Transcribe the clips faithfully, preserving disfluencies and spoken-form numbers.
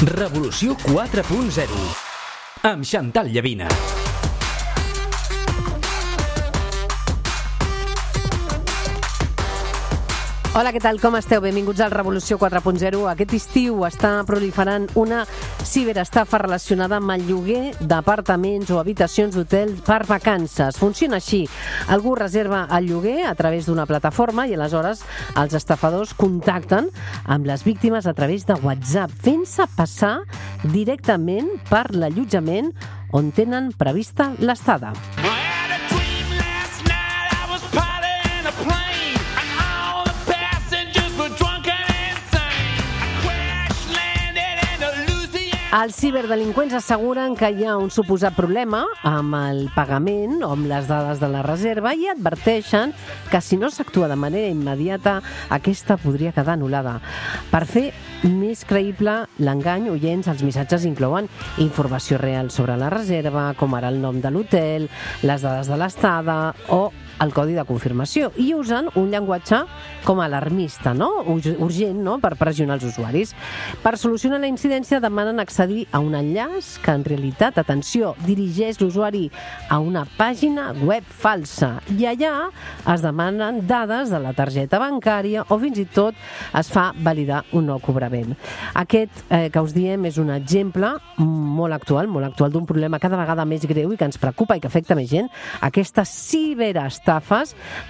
Revolució quatre punt zero amb Chantal Llavina. Hola, què tal? Com esteu? Benvinguts al Revolució quatre punt zero. Aquest estiu està proliferant una ciberestafa relacionada amb el lloguer d'apartaments o habitacions d'hotel per vacances. Funciona així. Algú reserva el lloguer a través d'una plataforma i aleshores els estafadors contacten amb les víctimes a través de WhatsApp, fent-se passar directament per l'allotjament on tenen prevista l'estada. Els ciberdelinqüents asseguren que hi ha un suposat problema amb el pagament o amb les dades de la reserva i adverteixen que si no s'actua de manera immediata, aquesta podria quedar anul·lada. Per fer més creïble l'engany, oients, els missatges inclouen informació real sobre la reserva, com ara el nom de l'hotel, les dades de l'estada o el codi de confirmació, i usen un llenguatge com alarmista, no? Urgent, no? Per pressionar els usuaris. Per solucionar la incidència demanen accedir a un enllaç que en realitat, atenció, dirigeix l'usuari a una pàgina web falsa i allà es demanen dades de la targeta bancària o fins i tot es fa validar un nou cobrament. Aquest eh, que us diem és un exemple molt actual, molt actual d'un problema cada vegada més greu i que ens preocupa i que afecta més gent, aquestes ciberestafes.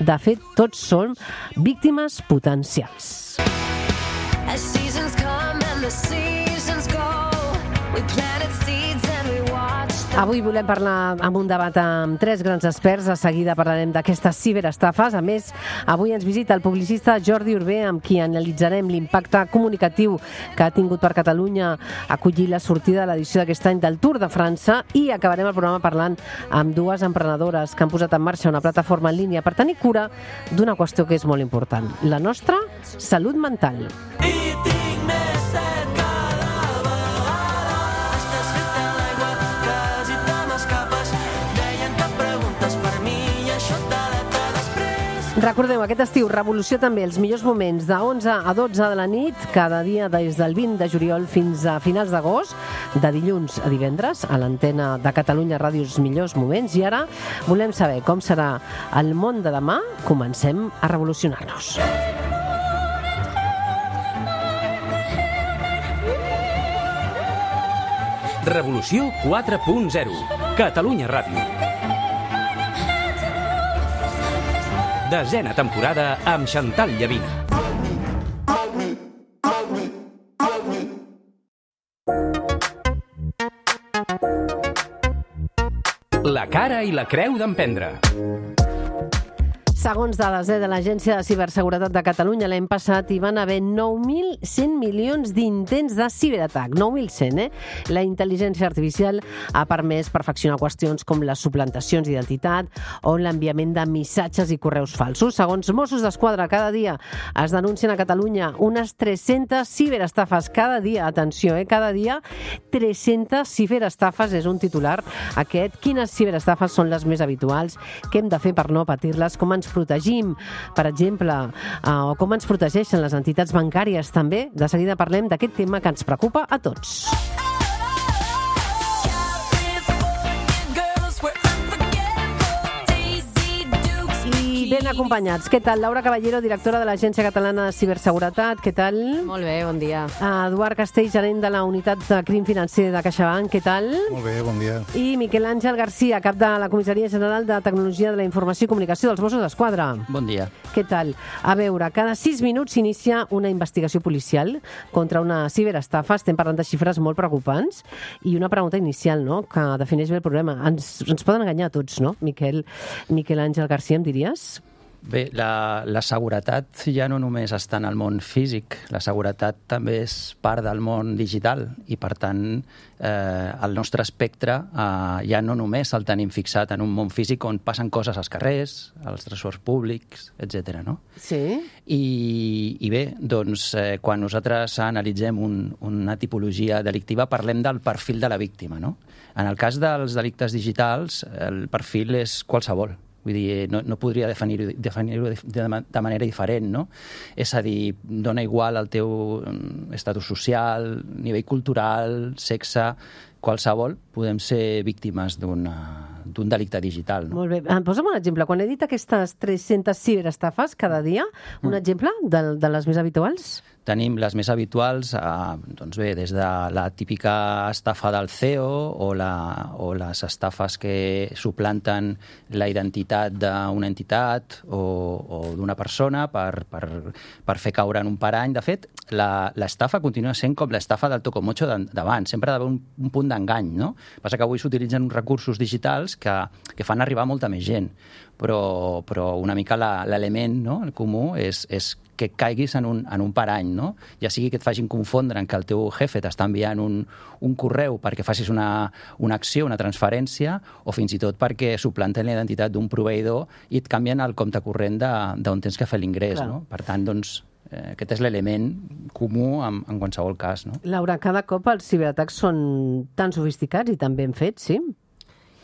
De fet, tots són víctimes potencials. Avui volem parlar amb un debat amb tres grans experts. De seguida parlarem d'aquestes ciberestafes. A més, avui ens visita el publicista Jordi Urbé, amb qui analitzarem l'impacte comunicatiu que ha tingut per Catalunya acollir la sortida de l'edició d'aquest any del Tour de França, i acabarem el programa parlant amb dues emprenedores que han posat en marxa una plataforma en línia per tenir cura d'una qüestió que és molt important, la nostra salut mental. Recordeu, aquest estiu, Revolució també, els millors moments de onze a dotze de la nit, cada dia des del vint de juliol fins a finals d'agost, de dilluns a divendres, a l'antena de Catalunya Ràdio, els millors moments. I ara volem saber com serà el món de demà. Comencem a revolucionar-nos. Revolució quatre punt zero. Catalunya Ràdio. Desena temporada amb Chantal Llavina. La cara i la creu d'emprendre. Segons dades eh, de l'Agència de Ciberseguretat de Catalunya, l'any passat hi van haver nou mil cent milions d'intents de ciberatac. nou mil cent, eh? La intel·ligència artificial ha permès perfeccionar qüestions com les suplantacions d'identitat o l'enviament de missatges i correus falsos. Segons Mossos d'Esquadra, cada dia es denuncien a Catalunya unes tres-centes ciberestafes. Cada dia, atenció, eh? Cada dia tres-centes ciberestafes és un titular aquest. Quines ciberestafes són les més habituals? Què hem de fer per no patir-les? Com ens protegim, per exemple, uh, o com ens protegeixen les entitats bancàries també. De seguida parlem d'aquest tema que ens preocupa a tots. Ben acompanyats. Què tal? Laura Caballero, directora de l'Agència Catalana de Ciberseguretat. Què tal? Molt bé, bon dia. Eduard Castell, gerent de la Unitat de Crim Financer de CaixaBank. Què tal? Molt bé, bon dia. I Miquel Àngel Garcia, cap de la Comissaria General de Tecnologia de la Informació i Comunicació dels Mossos d'Esquadra. Bon dia. Què tal? A veure, cada sis minuts s'inicia una investigació policial contra una ciberestafa. Estem parlant de xifres molt preocupants. I una pregunta inicial, no?, que defineix bé el problema. Ens, ens poden enganyar a tots, no? Miquel, Miquel Àngel Garcia, em diries? Bé, la, la seguretat ja no només està en el món físic, la seguretat també és part del món digital i, per tant, eh, el nostre espectre eh, ja no només el tenim fixat en un món físic on passen coses als carrers, als transports públics, etcètera, no? Sí. I, i bé, doncs, eh, quan nosaltres analitzem un, una tipologia delictiva parlem del perfil de la víctima, no? En el cas dels delictes digitals, el perfil és qualsevol. Vull dir, no, no podria definir-ho definir de, de manera diferent, no? És a dir, dona igual el teu estatus social, nivell cultural, sexe, qualsevol, podem ser víctimes d'un delicte digital. No? Molt bé. Posa'm un exemple. Quan he dit aquestes tres-centes ciberestafes cada dia, un mm. exemple de, de les més habituals? Tenim les més habituals, eh, doncs bé, des de la típica estafa del C E O o, la, o les estafes que suplanten la identitat d'una entitat o, o d'una persona per, per, per fer caure en un parany. De fet, l'estafa continua sent com l'estafa del tocomocho d'abans. Sempre ha d'haver un, un punt d'engany, no? Passa que avui s'utilitzen uns recursos digitals que, que fan arribar molta més gent. Però, però una mica l'element, no? El comú és, és que caiguis en un, en un parany, no? Ja sigui que et facin confondre en que el teu jefe t'està enviant un, un correu perquè facis una, una acció, una transferència, o fins i tot perquè suplanten la identitat d'un proveïdor i et canvien el compte corrent d'on tens que fer l'ingrés, no? Per tant, doncs, eh, aquest és l'element comú en, en qualsevol cas, no? Laura, cada cop els ciberatacs són tan sofisticats i tan ben fets, sí?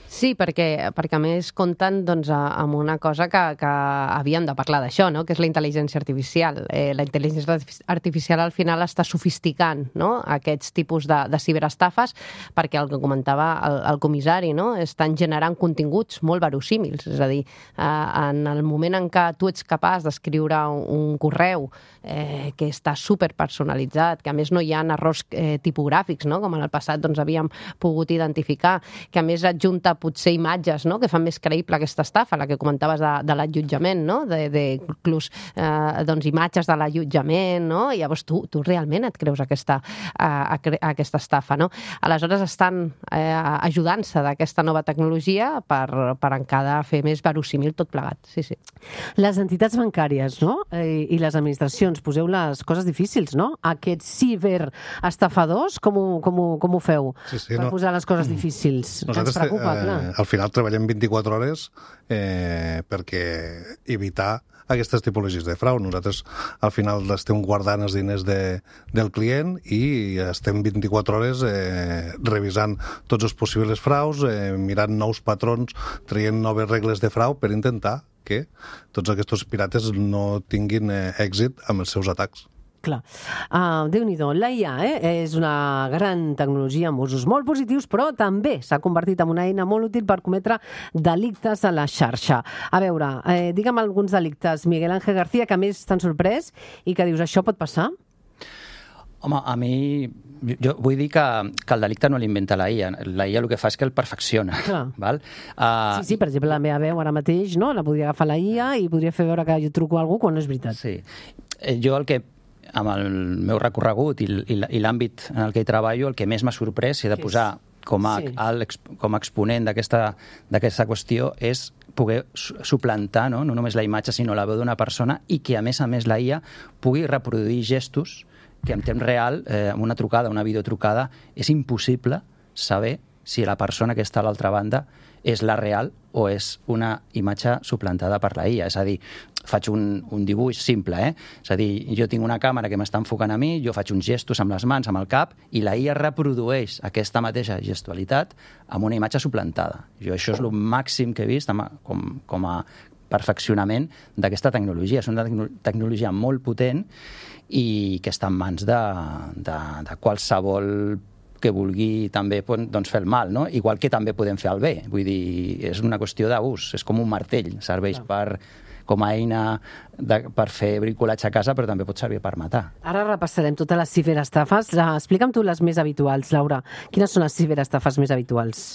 Sí, perquè, perquè a més compten doncs, amb una cosa que, que havíem de parlar d'això, no? Que és la intel·ligència artificial. Eh, la intel·ligència artificial al final està sofisticant, no? Aquests tipus de, de ciberestafes, perquè el que comentava el, el comissari, no? Estan generant continguts molt verosímils. És a dir, eh, en el moment en què tu ets capaç d'escriure un, un correu eh, que està superpersonalitzat, que a més no hi ha errors eh, tipogràfics, no? Com en el passat doncs, havíem pogut identificar, que a més adjunta potser imatges, no? Que fan més creïble aquesta estafa, la que comentaves de, de l'allotjament, no? De, de inclús eh, doncs, imatges de l'allotjament, no? I llavors tu, tu realment et creus aquesta, eh, aquesta estafa, no? Aleshores estan eh, ajudant-se d'aquesta nova tecnologia per, per encara fer més verosímil tot plegat, sí, sí. Les entitats bancàries, no? Eh, I les administracions, poseu les coses difícils, no? Aquests ciberestafadors, com ho, com ho, com ho feu? Sí, sí, per no. posar les coses difícils. Nosaltres, ens preocupa, eh, al final treballem vint-i-quatre hores eh, perquè evitar aquestes tipologies de frau. Nosaltres al final estem guardant els diners de, del client i estem vint-i-quatre hores eh, revisant tots els possibles fraus, eh, mirant nous patrons, traient noves regles de frau per intentar que tots aquests pirates no tinguin eh, èxit amb els seus atacs. Clar. Uh, Déu-n'hi-do. La I A eh, és una gran tecnologia amb usos molt positius, però també s'ha convertit en una eina molt útil per cometre delictes a la xarxa. A veure, eh, digue'm alguns delictes, Miguel Ángel García, que a més t'han sorprès i que dius, això pot passar? Home, a mi... Jo vull dir que, que el delicte no l'inventa la I A. La I A el que fa és que el perfecciona. Val? Uh, sí, sí, per exemple, la meva veu ara mateix, no? La podria agafar la I A i podria fer veure que jo truco a algú quan no és veritat. Sí. Jo el que amb el meu recorregut i l'àmbit en el que hi treballo, el que més m'ha sorprès, si he de posar com a, sí. el, com a exponent d'aquesta qüestió, és poder suplantar no? no només la imatge, sinó la veu d'una persona i que, a més a més, la I A pugui reproduir gestos que en temps real, eh, amb una trucada, una videotrucada, és impossible saber si la persona que està a l'altra banda és la real o és una imatge suplantada per la I A. És a dir, faig un, un dibuix simple, eh? És a dir, jo tinc una càmera que m'està enfocant a mi, jo faig uns gestos amb les mans, amb el cap, i la I A reprodueix aquesta mateixa gestualitat amb una imatge suplantada. Jo això és el màxim que he vist com, com a perfeccionament d'aquesta tecnologia. És una tecnologia molt potent i que està en mans de, de, de qualsevol que vulgui també doncs, fer el mal, no? Igual que també podem fer el bé. Vull dir, és una qüestió d'ús, és com un martell, serveix per, com a eina de, per fer bricolatge a casa, però també pot servir per matar. Ara repassarem totes les ciberestafes. Explica'm tu les més habituals, Laura. Quines són les ciberestafes més habituals?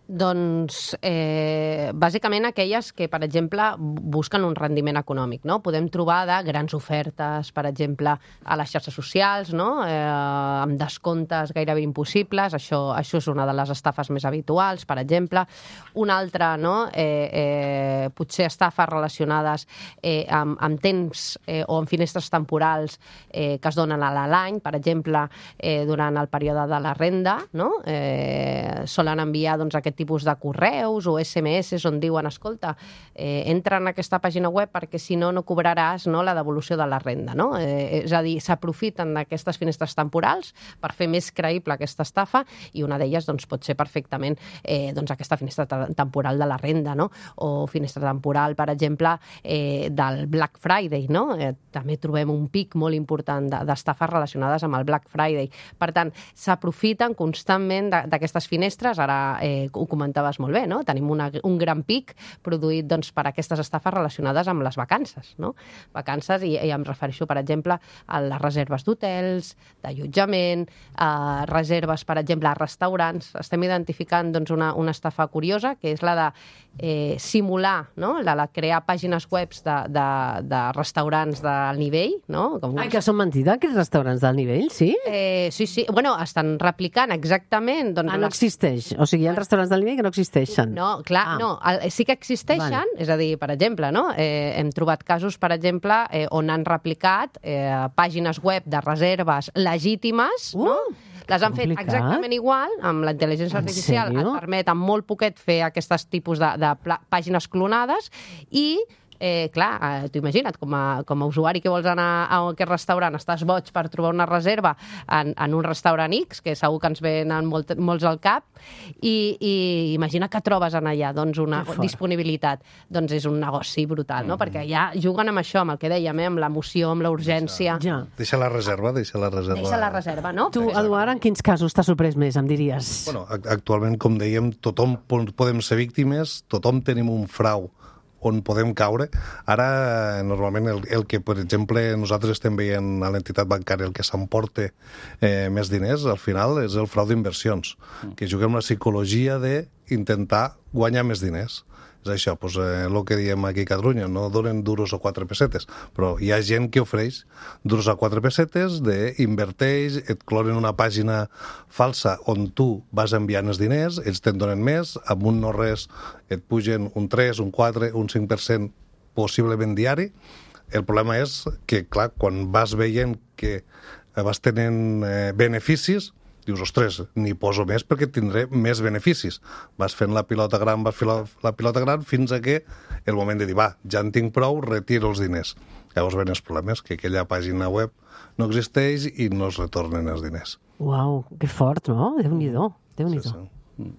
Doncs, eh, bàsicament aquelles que, per exemple, busquen un rendiment econòmic, no? Podem trobar de grans ofertes, per exemple, a les xarxes socials, no? Eh, amb descomptes gairebé impossibles, això, això és una de les estafes més habituals, per exemple. Una altra, no? Eh, eh, potser estafes relacionades eh, amb, amb temps eh, o amb finestres temporals eh, que es donen a l'any, per exemple, eh, durant el període de la renda, no? Eh, solen enviar doncs, aquest tipus de correus o esse eme esse on diuen, escolta, eh, entra en aquesta pàgina web perquè si no no cobraràs, no, la devolució de la renda, no? Eh, és a dir, s'aprofiten d'aquestes finestres temporals per fer més creïble aquesta estafa, i una d'elles doncs, pot ser perfectament eh, doncs, aquesta finestra temporal de la renda, no? O finestra temporal, per exemple, eh, del Black Friday, no? Eh, també trobem un pic molt important d'estafes relacionades amb el Black Friday. Per tant, s'aprofiten constantment d'aquestes finestres, ara eh, ho comentaves molt bé, no? Tenim una, un gran pic produït doncs, per aquestes estafes relacionades amb les vacances, no? Vacances, i, i em refereixo, per exemple, a les reserves d'hotels, d'allotjament, a reserves, per exemple, a restaurants. Estem identificant doncs, una, una estafa curiosa, que és la de eh, simular, no? la de crear pàgines web de, de, de restaurants d'alt nivell, no? Com Ai, que són mentida, aquests restaurants d'alt nivell, sí? Eh, sí, sí. Bueno, estan replicant exactament... Doncs, ah, no les... existeix. O sigui, hi ha restaurants d'alt nivell que no existeixen. No, clar, ah. no. El, sí que existeixen, vale. És a dir, per exemple, no? eh, hem trobat casos, per exemple, eh, on han replicat eh, pàgines web de reserves legítimes, uh, no? Les han complicat. Fet exactament igual, amb la intel·ligència artificial et permet amb molt poquet fer aquests tipus de, de pàgines clonades, i Eh, clar, eh, t'ho imagina't, com a, com a usuari que vols anar a aquest restaurant, estàs boig per trobar una reserva en, en un restaurant X, que segur que ens venen molt, molts al cap, i, i imagina que trobes en allà doncs, una disponibilitat. Doncs és un negoci brutal, no? Mm. Perquè ja juguen amb això, amb el que dèiem, eh? Amb l'emoció, amb la urgència. Ja. Deixa la reserva, deixa la reserva. Deixa la reserva, no? Tu, Eduard, en quins casos t'has sorprès més, em diries? Bueno, actualment, com dèiem, tothom podem ser víctimes, tothom tenim un frau on podem caure. Ara, normalment, el, el que, per exemple, nosaltres estem veient a l'entitat bancària, el que s'emporta eh, més diners, al final, és el frau d'inversions, mm. que juguem la psicologia d'intentar guanyar més diners. És això, doncs, eh, el que diem aquí a Catalunya, no donen duros o quatre pessetes, però hi ha gent que ofereix duros a quatre pessetes, d'inverteix, et clonen una pàgina falsa on tu vas enviant els diners, ells te'n donen més, amb un no res et pugen un tres, un quatre, un cinc per cent possiblement diari. El problema és que, clar, quan vas veient que vas tenint eh, beneficis, dius, ostres, n'hi poso més perquè tindré més beneficis. Vas fent la pilota gran, vas fent la, la pilota gran, fins a que el moment de dir, va, ja en tinc prou, retiro els diners. Llavors ven els problemes, que aquella pàgina web no existeix i no es retornen els diners. Uau, que fort, no? Déu-n'hi-do, Déu-n'hi-do. Sí, sí.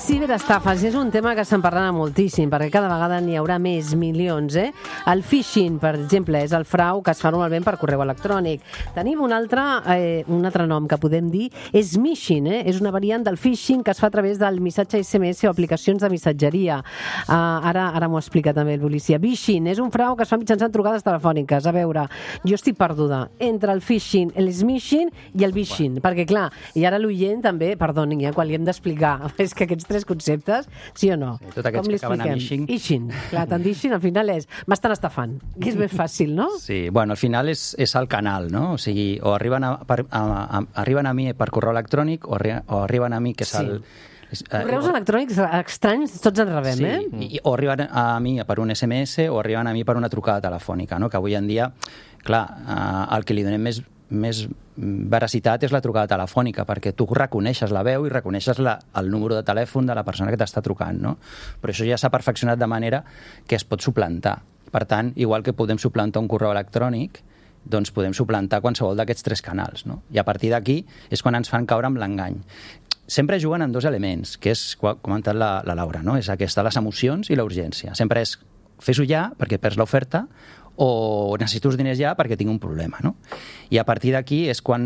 Ciberestafes és un tema que se'n parlarà moltíssim, perquè cada vegada n'hi haurà més milions, eh? El phishing, per exemple, és el frau que es fa normalment per correu electrònic. Tenim un altre, eh, un altre nom que podem dir, és smishing, eh? És una variant del phishing que es fa a través del missatge esse eme esse o aplicacions de missatgeria. Uh, ara ara m'ho explica també el policia. Phishing és un frau que es fa mitjançant trucades telefòniques. A veure, jo estic perduda entre el phishing, el smishing i el vishing, perquè clar, i ara l'oient també, perdoni, eh, quan li hem d'explicar, és que aquests tres conceptes, sí o no? Sí, tots aquests que acaben amb ishing. Ishing, clar, tant ishing al final és m'estan estafant, que és més fàcil, no? Sí, bueno, al final és, és el canal, no? O sigui, o arriben a, per, a, a, arriben a mi per correu electrònic o, arri, o arriben a mi, que és sí. el... Correus uh, electrònics estranys tots en rebem, sí, eh? I, o arriben a mi per un esse eme esse o arriben a mi per una trucada telefònica, no? Que avui en dia, clar, uh, el que li donem més, més veracitat és la trucada telefònica, perquè tu reconeixes la veu i reconeixes la, el número de telèfon de la persona que t'està trucant, no? Però això ja s'ha perfeccionat de manera que es pot suplantar. Per tant, igual que podem suplantar un correu electrònic, doncs podem suplantar qualsevol d'aquests tres canals, no? I a partir d'aquí és quan ens fan caure amb l'engany. Sempre juguen amb dos elements, que és, com ha comentat la, la Laura, no? És aquesta, les emocions i la urgència. Sempre és fes-ho ja perquè perds l'oferta o necessito els diners ja perquè tinc un problema, no? I a partir d'aquí és quan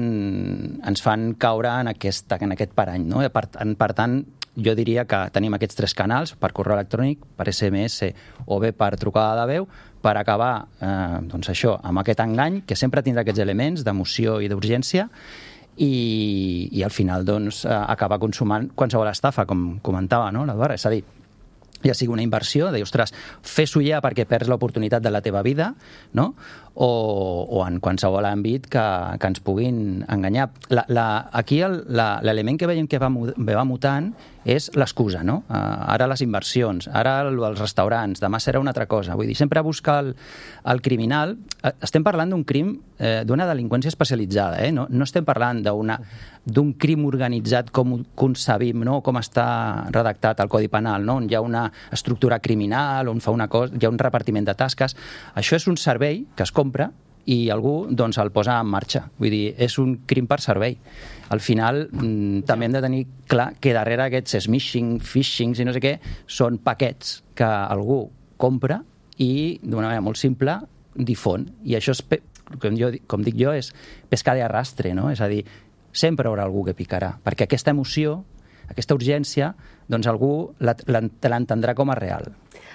ens fan caure en aquest, en aquest parany, no? Per, per tant, jo diria que tenim aquests tres canals, per correu electrònic, per esse eme esse o bé per trucada de veu, per acabar eh, doncs això, amb aquest engany, que sempre tindrà aquests elements d'emoció i d'urgència, i, i al final doncs, eh, acaba consumant qualsevol estafa, com comentava, no, l'Eduard? És a dir, ja sigui una inversió, de dir, ostres, fes-ho ja perquè perds l'oportunitat de la teva vida, no? o, o en qualsevol àmbit que, que ens puguin enganyar. La, la, aquí l'element que veiem que va, va mutant és l'excusa, no? Uh, ara les inversions, ara els restaurants, demà serà una altra cosa. Vull dir, sempre buscar el, el criminal. Estem parlant d'un crim, eh, d'una delinqüència especialitzada, eh? No, no estem parlant d'una d'un crim organitzat com concebim, no? Com està redactat el Codi Penal, no? On hi ha una estructura criminal, on fa una cosa, hi ha un repartiment de tasques. Això és un servei que es compra i algú doncs, el posa en marxa. Vull dir, és un crim per servei. Al final, mmm, també hem de tenir clar que darrere aquests smishing, phishings i no sé què, són paquets que algú compra i, d'una manera molt simple, difon. I això, és, com, jo, com dic jo, és pescar de arrastre, no? És a dir, sempre hi haurà algú que picarà, perquè aquesta emoció, aquesta urgència, doncs algú l'entendrà com a real.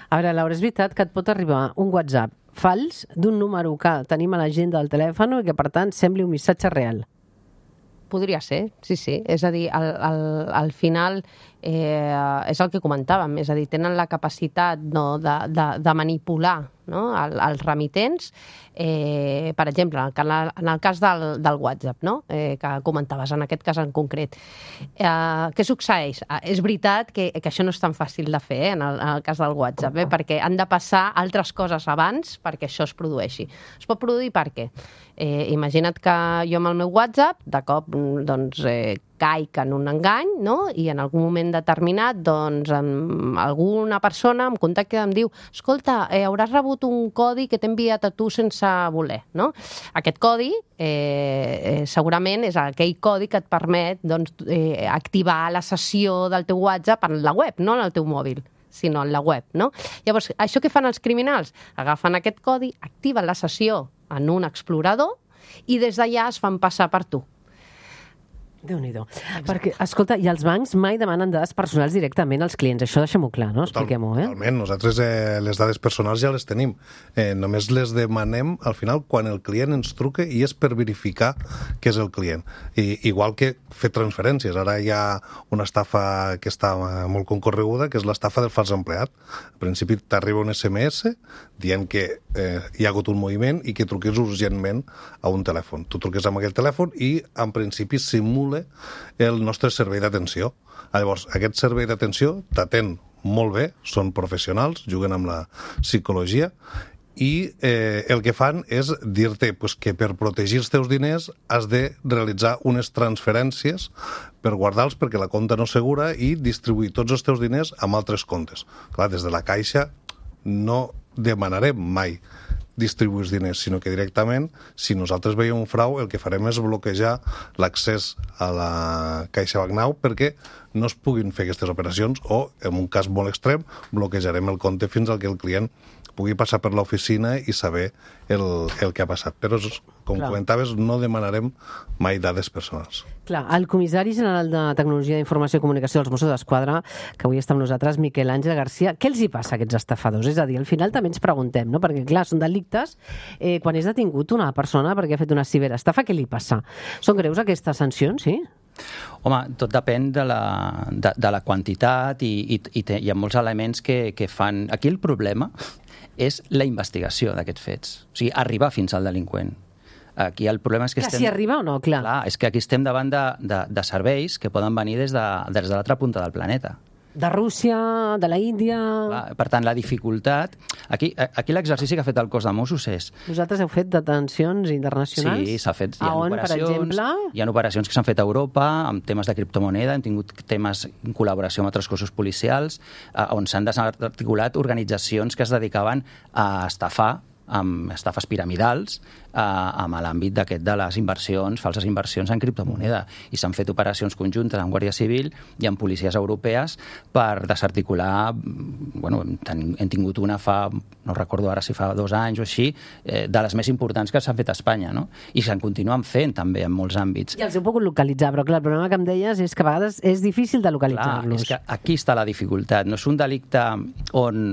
A veure, Laura, és veritat que et pot arribar un WhatsApp fals d'un número que tenim a l'agenda del telèfon i que, per tant, sembli un missatge real. Podria ser, sí, sí. És a dir, al, al, al final eh, és el que comentàvem, és a dir, tenen la capacitat no, de, de, de manipular no, el, els remitents. Eh, per exemple, en el, en el cas del, del WhatsApp, no? eh, que comentaves, en aquest cas en concret. Eh, què succeeix? Eh, és veritat que, que això no és tan fàcil de fer eh, en, el, en el cas del WhatsApp, eh, perquè han de passar altres coses abans perquè això es produeixi. Es pot produir per què? Eh, imagina't que jo amb el meu WhatsApp, de cop, doncs, eh, caic en un engany, no? I en algun moment determinat, doncs, alguna persona em contacta i em diu escolta, eh, hauràs rebut un codi que t'he enviat a tu sense voler, no? Aquest codi eh, eh, segurament és aquell codi que et permet doncs, eh, activar la sessió del teu WhatsApp en la web, no en el teu mòbil, sinó en la web, no? Llavors, això què fan els criminals? Agafen aquest codi, activen la sessió en un explorador i des d'allà es fan passar per tu. Déu-n'hi-do. Perquè, escolta, i els bancs mai demanen dades personals directament als clients. Això deixem-ho clar, no? Expliquem-ho, eh? Totalment. Nosaltres eh, les dades personals ja les tenim. Eh, només les demanem al final quan el client ens truca i és per verificar que és el client. I, igual que fer transferències. Ara hi ha una estafa que està molt concorreguda, que és l'estafa del fals empleat. Al principi t'arriba un esse eme esse dient que eh, hi ha hagut un moviment i que truquis urgentment a un telèfon. Tu truques amb aquell telèfon i, en principi, simula el nostre servei d'atenció. Llavors, aquest servei d'atenció t'atén molt bé, són professionals, juguen amb la psicologia i eh, el que fan és dir-te pues, que per protegir els teus diners has de realitzar unes transferències per guardar-los perquè la compta no és segura i distribuir tots els teus diners amb altres comptes. Clar, des de la Caixa no demanarem mai distribuir els diners, sinó que directament, si nosaltres veiem un frau, el que farem és bloquejar l'accés a la Caixa Bancnau perquè no es puguin fer aquestes operacions o, en un cas molt extrem, bloquejarem el compte fins al que el client pugui passar per l'oficina i saber el, el que ha passat. Però, com Clar. comentaves, no demanarem mai dades personals. Clar, el comissari general de Tecnologia d'Informació i Comunicació dels Mossos d'Esquadra, que avui està amb nosaltres, Miquel Àngel Garcia, què els hi passa a aquests estafadors? És a dir, al final també ens preguntem, no? Perquè, clar, són delictes. Eh, quan és detingut una persona perquè ha fet una ciberestafa, què li passa? Són greus aquestes sancions, sí? Home, tot depèn de la, de, de la quantitat i, i, i te, hi ha molts elements que, que fan... Aquí el problema és la investigació d'aquests fets. O sigui, arribar fins al delinqüent. Aquí el problema és que clar, estem... si arriba o no, clar. Clar, és que aquí estem davant de, de, de serveis que poden venir des de, des de l'altra punta del planeta. De Rússia, de la Índia... Clar, per tant, la dificultat... Aquí, aquí l'exercici que ha fet el cos de Mossos és... Vosaltres heu fet detencions internacionals? Sí, s'ha fet... A on, per exemple? Hi ha operacions que s'han fet a Europa amb temes de criptomoneda, hem tingut temes en col·laboració amb altres cossos policials, eh, on s'han desarticulat organitzacions que es dedicaven a estafar amb estafes piramidals eh, amb l'àmbit d'aquest de les inversions, falses inversions en criptomoneda. I s'han fet operacions conjuntes amb Guàrdia Civil i amb policies europees per desarticular, bueno, hem tingut una fa, no recordo ara si fa dos anys o així, eh, de les més importants que s'han fet a Espanya, no? I se'n continuen fent també en molts àmbits. I els heu pogut localitzar, però clar, el problema que em deies és que a vegades és difícil de localitzar-los. Clar, és que aquí està la dificultat. No és un delicte on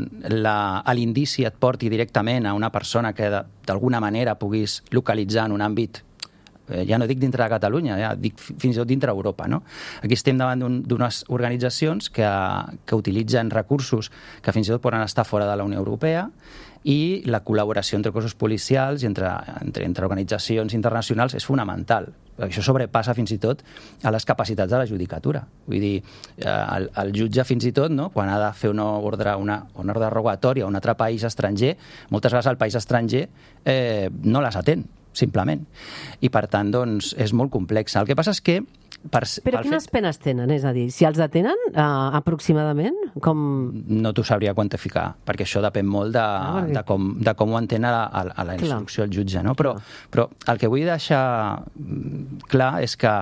l'indici et porti directament a una persona persona que d'alguna manera puguis localitzar en un àmbit ja no dic dintre de Catalunya, ja dic fins i tot dintre d'Europa, no? Aquí estem davant d'unes organitzacions que, que utilitzen recursos que fins i tot poden estar fora de la Unió Europea, i la col·laboració entre cossos policials i entre, entre, entre organitzacions internacionals és fonamental. Això sobrepassa fins i tot a les capacitats de la judicatura. Vull dir, el, el jutge fins i tot, no, quan ha de fer una ordre, una, una ordre rogatòria a un altre país estranger, moltes vegades el país estranger eh, no les atén, simplement. I per tant, doncs, és molt complexa. El que passa és que Per, Però quines fet... penes tenen? És a dir, si els detenen uh, aproximadament? Com... No t'ho sabria quantificar, perquè això depèn molt de, ah, perquè... de, com, de com ho entén a la, a la instrucció el jutge. No? Però, però el que vull deixar clar és que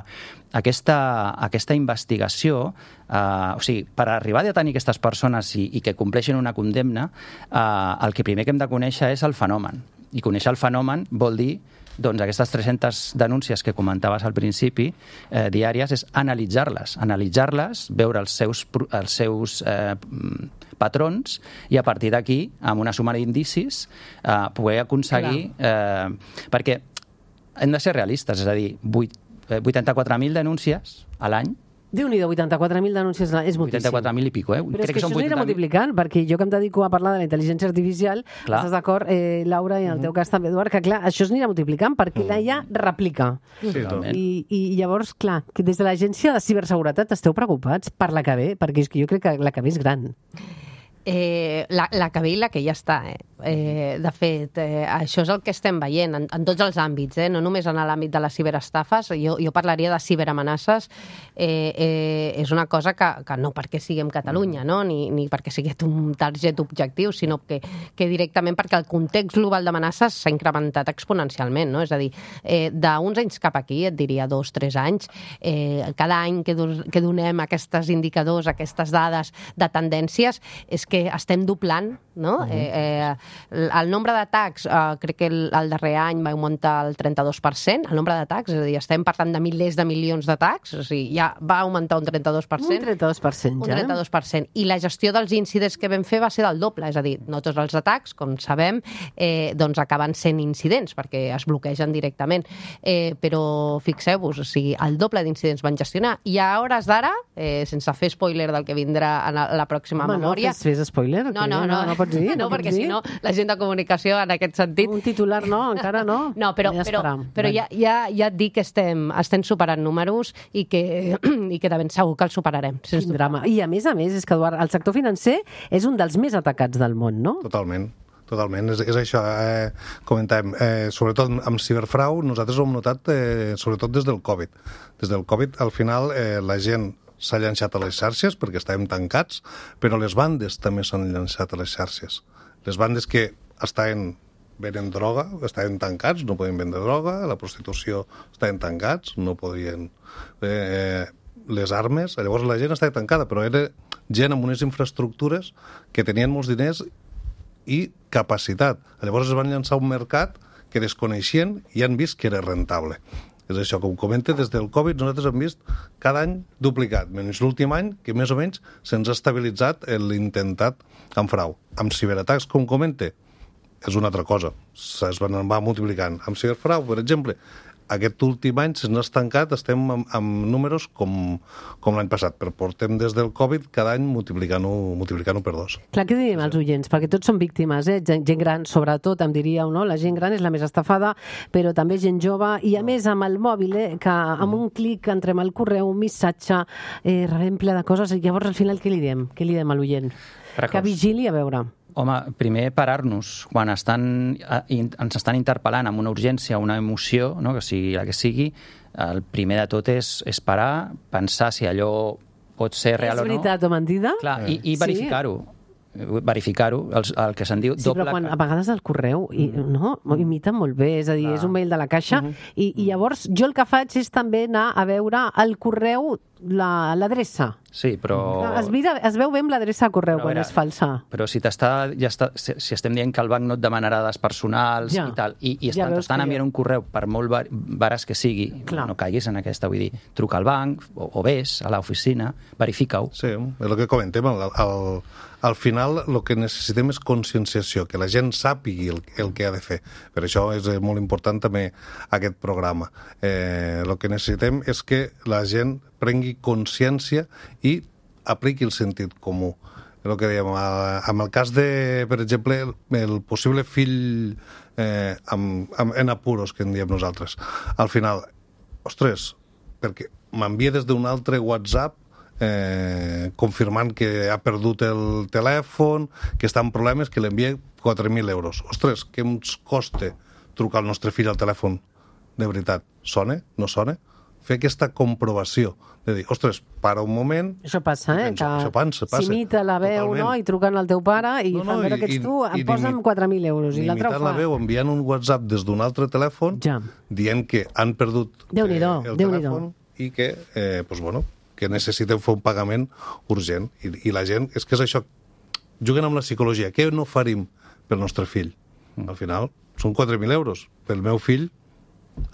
aquesta, aquesta investigació, eh, o sigui, per arribar a detenir aquestes persones i, i que compleixin una condemna, eh, el que primer que hem de conèixer és el fenomen. I conèixer el fenomen vol dir doncs aquestes tres-centes denúncies que comentaves al principi, eh, diàries, és analitzar-les, analitzar-les, veure els seus, els seus eh, patrons i a partir d'aquí, amb una suma d'indicis, eh, poder aconseguir... Eh, perquè hem de ser realistes, és a dir, vuitanta-quatre mil denúncies a l'any. Déu-n'hi-do, vuitanta-quatre mil denúncies és moltíssim. vuitanta-quatre mil i pico, eh? Però Crec és que, que això s'anirà multiplicant, perquè jo que em dedico a parlar de la intel·ligència artificial, clar. Estàs d'acord, eh, Laura, i en el teu cas també, Eduard, que clar, això s'anirà multiplicant perquè mm. la I A replica. Sí, I, I llavors, clar, que des de l'Agència de Ciberseguretat esteu preocupats per la que ve, perquè jo crec que la que ve és gran. Eh, la, la que ve i la que ja està. Eh? Eh, de fet, eh, això és el que estem veient en, en tots els àmbits, eh? No només en l'àmbit de les ciberestafes. Jo, jo parlaria de ciberamenaces. Eh, eh, és una cosa que, que no perquè siguem Catalunya, no? ni, ni perquè sigui un target objectiu, sinó que, que directament perquè el context global d'amenaces s'ha incrementat exponencialment. No? És a dir, eh, d'uns anys cap aquí, et diria dos, tres anys, eh, cada any que, do, que donem aquests indicadors, aquestes dades de tendències, és que estem doblant, no? Uh -huh. eh, eh, el nombre d'atacs, eh, crec que el, el darrer any va augmentar el trenta-dos per cent, el nombre d'atacs, és a dir, estem parlant de milers de milions d'atacs, o sigui, ja va augmentar un trenta-dos per cent. Un trenta-dos per cent, ja. Un trenta-dos per cent. I la gestió dels incidents que vam fer va ser del doble, és a dir, no tots els atacs, com sabem, eh, doncs acaben sent incidents, perquè es bloquegen directament. Eh, però fixeu-vos, o sigui, el doble d'incidents van gestionar. I a hores d'ara, eh, sense fer spoiler del que vindrà en la pròxima Home, memòria... No, fes, fes spoiler? No, no, no, no, no pots dir? No, no perquè dir? si no, la gent de comunicació en aquest sentit... Un titular no, encara no. No, però, ja però, però ja, ja, ja et dic que estem, estem superant números i que, i que de ben segur que els superarem. Quin drama. I a més a més, és que, Eduard, el sector financer és un dels més atacats del món, no? Totalment. Totalment, és, és això, eh, comentàvem, eh, sobretot amb ciberfrau, nosaltres ho hem notat eh, sobretot des del Covid. Des del Covid, al final, eh, la gent s'ha llançat a les xarxes perquè estàvem tancats, però les bandes també s'han llançat a les xarxes. Les bandes que estaven venent droga, estaven tancats, no podien vendre droga, la prostitució estaven tancats, no podien... Eh, les armes, llavors la gent estava tancada, però era gent amb unes infraestructures que tenien molts diners i capacitat. Llavors es van llançar a un mercat que desconeixien i han vist que era rentable. És això, com comenta, des del Covid nosaltres hem vist cada any duplicat, menys l'últim any, que més o menys se'ns ha estabilitzat l'intentat amb frau. Amb ciberatacs, com comenta, és una altra cosa. Es van, va multiplicant. Amb ciberfrau, per exemple, aquest últim any se'ns ha estancat, estem amb, amb números com, com l'any passat, però portem des del Covid cada any multiplicant-ho multiplicant per dos. Clar, què diríem als oients? Perquè tots són víctimes, eh? Gent, gent gran, sobretot, em diríeu, no? La gent gran és la més estafada, però també gent jove, i a més amb el mòbil, eh? Que amb un clic entrem al correu, un missatge, eh, rebem ple de coses, i llavors al final què li diem? Què li diem a l'oient? Que vigili, a veure... Home, primer parar-nos. Quan estan, ens estan interpel·lant amb una urgència, una emoció, no? Que sigui la que sigui, el primer de tot és, és parar, pensar si allò pot ser real o no. És veritat o mentida? Clar, i, i verificar-ho. Sí. verificar-ho, el, el que se'n diu sí, doble... Sí, però quan a vegades el correu i, no, imita molt bé, és a dir, ah. és un mail de la caixa, uh -huh. i, i llavors jo el que faig és també anar a veure el correu l'adreça. Sí, però... Es, mira, es veu bé amb l'adreça de correu Però, quan veure, és falsa. Però si t'està, ja està, si, si estem dient que el banc no et demanarà dades personals Ja. i tal, i, i Ja estan, veus t'estan que enviant jo- un correu per molt var- vares que sigui, Clar. no caiguis en aquesta, vull dir, truca al banc o, o vés a l'oficina, verifica-ho. Sí, és el que comentem. Al, al, al final el que necessitem és conscienciació, que la gent sàpigui el, el que ha de fer. Per això és eh, molt important també aquest programa. Eh, el que necessitem és que la gent prengui consciència i apliqui el sentit comú. El que dèiem, amb el cas de, per exemple, el, el possible fill eh, amb, amb, en apuros, que en diem nosaltres. Al final, ostres, perquè m'envia des d'un altre WhatsApp eh, confirmant que ha perdut el telèfon, que està en problemes, que l'envia quatre mil euros. Ostres, què ens costa trucar al nostre fill al telèfon? De veritat, sona? No sona? Fer aquesta comprovació de dir, ostres, para un moment... Això passa, eh? penso, que això passa, passa. s'imita la veu, Totalment. no?, i truquen al teu pare i No, no, fan veure i- que ets tu, i- em i posa'm d'imi- quatre mil euros, i l'altre ho Imitant fa. la veu, enviant un WhatsApp des d'un altre telèfon, Ja. dient que han perdut eh, Déu-n'hi-do, el Déu-n'hi-do. telèfon i que, eh, pues, bueno, que necessiten fer un pagament urgent. I, I la gent, és que és això, juguen amb la psicologia. Què no farim pel nostre fill? Al final, són quatre mil euros. Pel meu fill,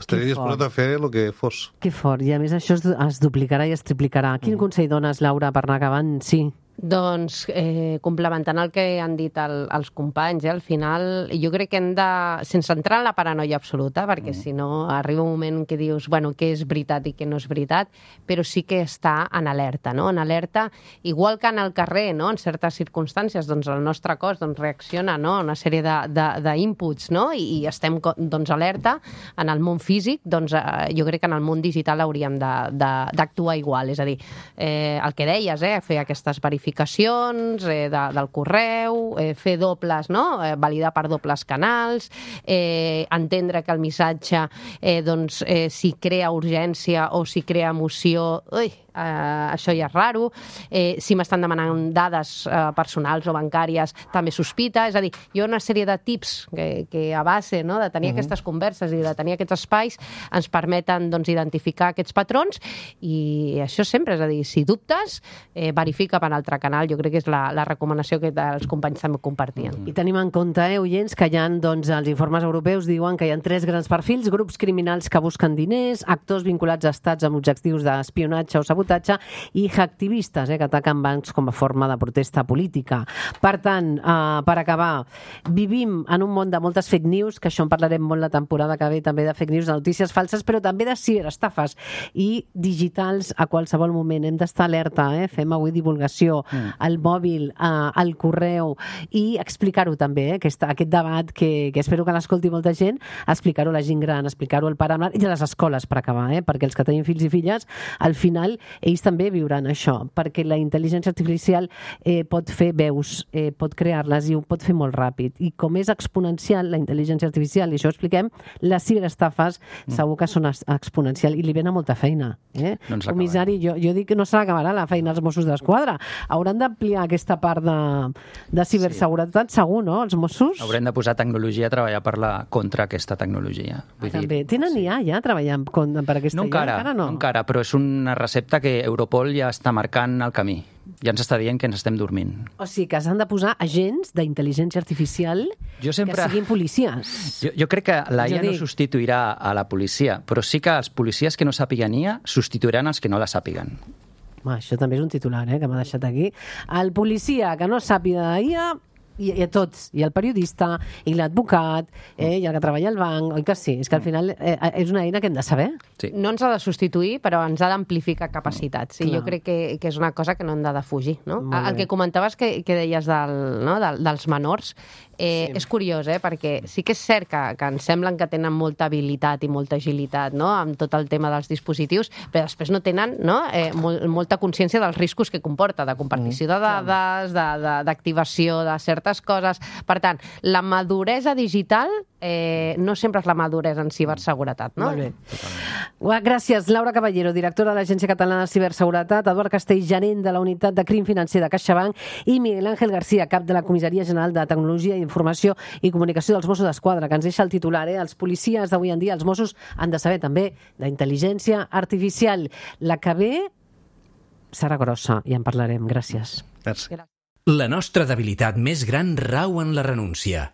estaria Que disposat fort. a fer el que fos. Que fort, i a més això es, es duplicarà i es triplicarà. Quin Mm. consell dones, Laura, per anar acabant? Sí. Doncs, eh, complementant el que han dit el, els companys, eh, al final jo crec que hem de, sense entrar en la paranoia absoluta, perquè mm. si no arriba un moment que dius, bueno, què és veritat i què no és veritat, però sí que està en alerta, no? En alerta, igual que en el carrer, no? En certes circumstàncies, doncs el nostre cos doncs, reacciona, no?, a una sèrie d'inputs, no? I, i estem doncs, alerta. En el món físic, doncs eh, jo crec que en el món digital hauríem d'actuar igual, és a dir, eh, el que deies, eh, fer aquestes verificacions verificacions eh, de, del correu, eh, fer dobles, no? Eh, validar per dobles canals, eh, entendre que el missatge eh, doncs, eh, si crea urgència o si crea emoció, ui, eh, això ja és raro, eh, si m'estan demanant dades eh, personals o bancàries també sospita, és a dir, hi ha una sèrie de tips que, que a base, no?, de tenir uh -huh. aquestes converses i de tenir aquests espais ens permeten doncs, identificar aquests patrons i això sempre, és a dir, si dubtes, eh, verifica per altre canal, jo crec que és la, la recomanació que els companys també compartien. I tenim en compte, eh, oients, que hi ha, doncs, els informes europeus diuen que hi ha tres grans perfils, grups criminals que busquen diners, actors vinculats a estats amb objectius d'espionatge o sabotatge i hacktivistes, eh, que ataquen bancs com a forma de protesta política. Per tant, eh, per acabar, vivim en un món de moltes fake news, que això en parlarem molt la temporada que ve, també de fake news, de notícies falses, però també de ciberestafes i digitals a qualsevol moment. Hem d'estar alerta, eh? Fem avui divulgació mm. al mòbil, eh, al correu i explicar-ho també, eh? Aquest, aquest debat que, que espero que l'escolti molta gent, explicar-ho a la gent gran, explicar-ho al pare i a les escoles per acabar, eh? Perquè els que tenim fills i filles, al final ells també viuran això, perquè la intel·ligència artificial eh, pot fer veus, eh, pot crear-les i ho pot fer molt ràpid. I com és exponencial la intel·ligència artificial, i això ho expliquem, les ciberestafes mm. segur que són exponencial i li ven a molta feina. Eh? No Comissari, jo, jo dic que no se l'acabarà la feina als Mossos d'Esquadra. Hauran d'ampliar aquesta part de, de ciberseguretat, sí. Segur, no? Els Mossos? Haurem de posar tecnologia a treballar per la, contra aquesta tecnologia. Vull També. dir, Tenen sí. I A ja treballant con, per aquesta no I A? encara, encara no. no encara, però és una recepta que Europol ja està marcant el camí. Ja ens està dient que ens estem dormint. O sigui, que s'han de posar agents d'intel·ligència artificial jo sempre... que siguin policies. Jo, jo crec que la I A dic... no substituirà a la policia, però sí que els policies que no sàpiguen I A substituiran els que no la sàpiguen. Ah, això també és un titular, eh, que m'ha deixat aquí. El policia que no sàpiga de I A i, i a tots, i el periodista, i l'advocat, eh, i el que treballa al banc, oi que sí? És que al final eh, és una eina que hem de saber. Sí. No ens ha de substituir, però ens ha d'amplificar capacitats. I Clar. jo crec que, que és una cosa que no hem de defugir. No? Molt El bé. que comentaves que, que deies del, no? del, dels menors, eh, sí. és curiós, eh? Perquè sí que és cert que, que ens semblen que tenen molta habilitat i molta agilitat, no? Amb tot el tema dels dispositius, però després no tenen, no? Eh, mol, molta consciència dels riscos que comporta, de compartició de dades, d'activació de, de, de certes coses. Per tant, la maduresa digital eh, no sempre és la maduresa en ciberseguretat, no? Molt bé. Gràcies, Laura Caballero, directora de l'Agència Catalana de Ciberseguretat, Eduard Castell, gerent de la Unitat de Crim Financer de CaixaBank, i Miguel Ángel García, cap de la Comissaria General de Tecnologia, Informació i Comunicació dels Mossos d'Esquadra, que ens deixa el titular, eh? Els policies d'avui en dia, els Mossos, han de saber també la intel·ligència artificial. La que ve serà grossa i en parlarem. Gràcies. Merci. La nostra debilitat més gran rau en la renúncia.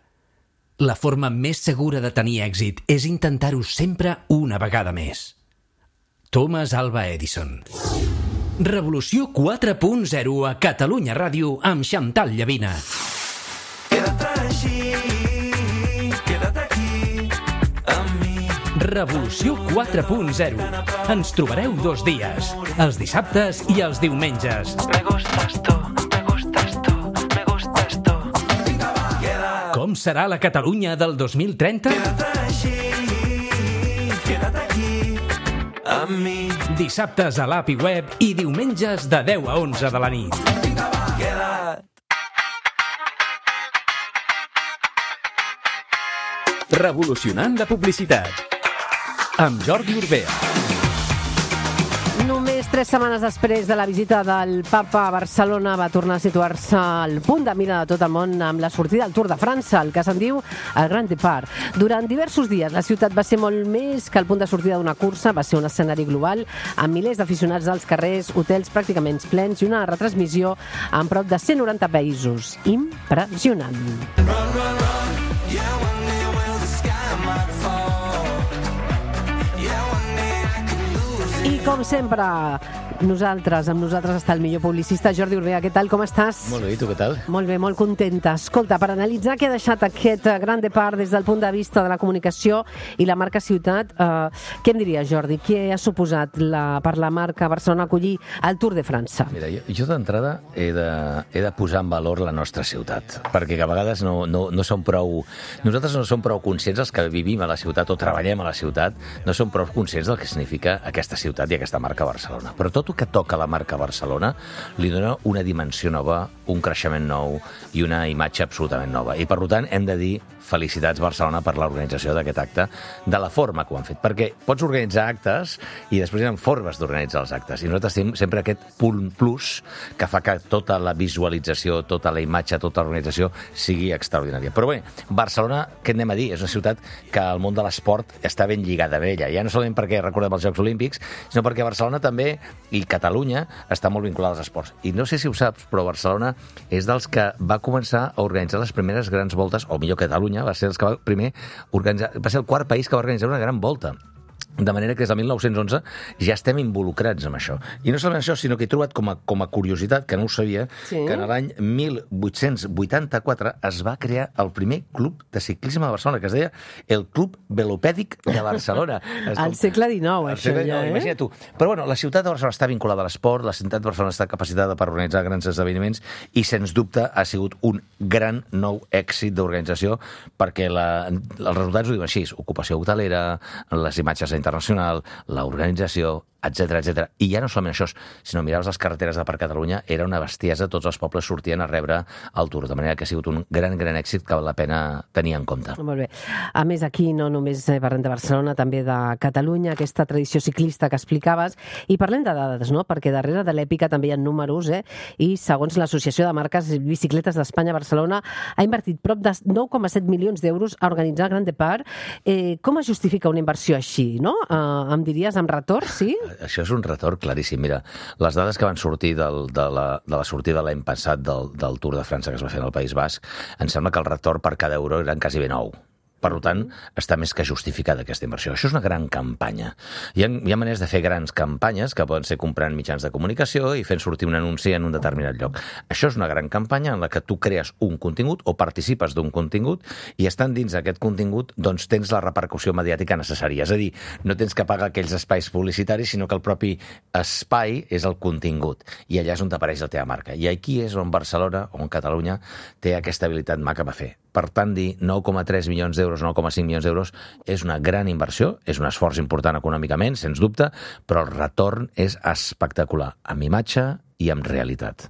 La forma més segura de tenir èxit és intentar-ho sempre una vegada més. Thomas Alva Edison. Revolució quatre punt zero a Catalunya Ràdio amb Chantal Llavina. Quédate així, quédate aquí amb mi. Revolució quatre punt zero. Ens trobareu dos dies, els dissabtes i els diumenges. Me gustas tú, me gustas tú, me gustas tú. Com serà la Catalunya del dos mil trenta? Quédate així, quédate aquí amb mi. Dissabtes a l'A P I Web i diumenges de deu a onze de la nit. Quédate. Revolucionant la publicitat. Amb Jordi Urbea. Només tres setmanes després de la visita del Papa a Barcelona va tornar a situar-se al punt de mira de tot el món amb la sortida del Tour de França, el que se'n diu el Grand Départ. Durant diversos dies la ciutat va ser molt més que el punt de sortida d'una cursa, va ser un escenari global amb milers d'aficionats als carrers, hotels pràcticament plens i una retransmissió en prop de cent noranta països. Impressionant. Run, run, run. Yeah, one day will the sky might fall. Yeah, one day I could lose it. I com sempre, nosaltres, amb nosaltres està el millor publicista, Jordi Urbea. Què tal, com estàs? Molt bé, i tu què tal? Molt bé, molt contenta. Escolta, per analitzar què ha deixat aquest Grand Départ des del punt de vista de la comunicació i la marca ciutat, eh, què em diries, Jordi? Què ha suposat la, per la marca Barcelona acollir el Tour de França? Mira, jo, jo d'entrada he, de, he de posar en valor la nostra ciutat, perquè a vegades no, no, no som prou... Nosaltres no som prou conscients, els que vivim a la ciutat o treballem a la ciutat, no som prou conscients del que significa aquesta ciutat i aquesta marca Barcelona. Però tot el que toca la marca Barcelona li dona una dimensió nova, un creixement nou i una imatge absolutament nova. I, per tant, hem de dir felicitats Barcelona per l'organització d'aquest acte, de la forma que ho han fet. Perquè pots organitzar actes i després hi ha formes d'organitzar els actes. I nosaltres tenim sempre aquest punt plus que fa que tota la visualització, tota la imatge, tota l'organització sigui extraordinària. Però bé, Barcelona, què anem a dir? És una ciutat que el món de l'esport està ben lligada a ella. Ja no solament perquè recordem els Jocs Olímpics, sinó perquè Barcelona també, i Catalunya, està molt vinculada als esports. I no sé si ho saps, però Barcelona és dels que va començar a organitzar les primeres grans voltes, o millor Catalunya, va ser, els que va, primer organitzar, va ser el quart país que va organitzar una gran volta. De manera que des del mil nou-cents onze ja estem involucrats amb això. I no solament això, sinó que he trobat com a, com a curiositat, que no ho sabia, sí? que en l'any mil vuit-cents vuitanta-quatre es va crear el primer club de ciclisme de Barcelona, que es deia el Club Velopèdic de Barcelona. Al segle dinou, això segle, ja, no, eh? Imagina't tu. Però bueno, la ciutat de Barcelona està vinculada a l'esport, la ciutat de Barcelona està capacitada per organitzar grans esdeveniments i, sens dubte, ha sigut un gran nou èxit d'organització perquè la, els resultats ho diuen així, ocupació hotelera, les imatges internacional, l'organització, etcètera, etcètera. I ja no solament això, sinó miraves les carreteres de per Catalunya, era una bestiesa, tots els pobles sortien a rebre el Tour, de manera que ha sigut un gran, gran èxit que val la pena tenir en compte. Molt bé. A més, aquí no només parlem de Barcelona, també de Catalunya, aquesta tradició ciclista que explicaves, i parlem de dades, no? Perquè darrere de l'èpica també hi ha números, eh? I segons l'Associació de Marques Bicicletes d'Espanya, Barcelona ha invertit prop de nou coma set milions d'euros a organitzar el Grand Départ. Eh, com es justifica una inversió així, no? Eh, em diries amb retorn, sí? Això és un retorn claríssim. Mira, les dades que van sortir del, de, la, de la sortida l'any passat del, del Tour de França que es va fer en el País Basc, em sembla que el retorn per cada euro eren quasi ben nou. Per tant, està més que justificada aquesta inversió. Això és una gran campanya. Hi ha, hi ha maneres de fer grans campanyes que poden ser comprant mitjans de comunicació i fent sortir un anunci en un determinat lloc. Això és una gran campanya en la que tu crees un contingut o participes d'un contingut i estant dins d'aquest contingut doncs tens la repercussió mediàtica necessària. És a dir, no tens que pagar aquells espais publicitaris, sinó que el propi espai és el contingut. I allà és on t'apareix la teva marca. I aquí és on Barcelona, on Catalunya, té aquesta habilitat maca per fer. Per tant, dir nou coma tres milions d'euros, nou coma cinc milions d'euros, és una gran inversió, és un esforç important econòmicament, sens dubte, però el retorn és espectacular, amb imatge i amb realitat.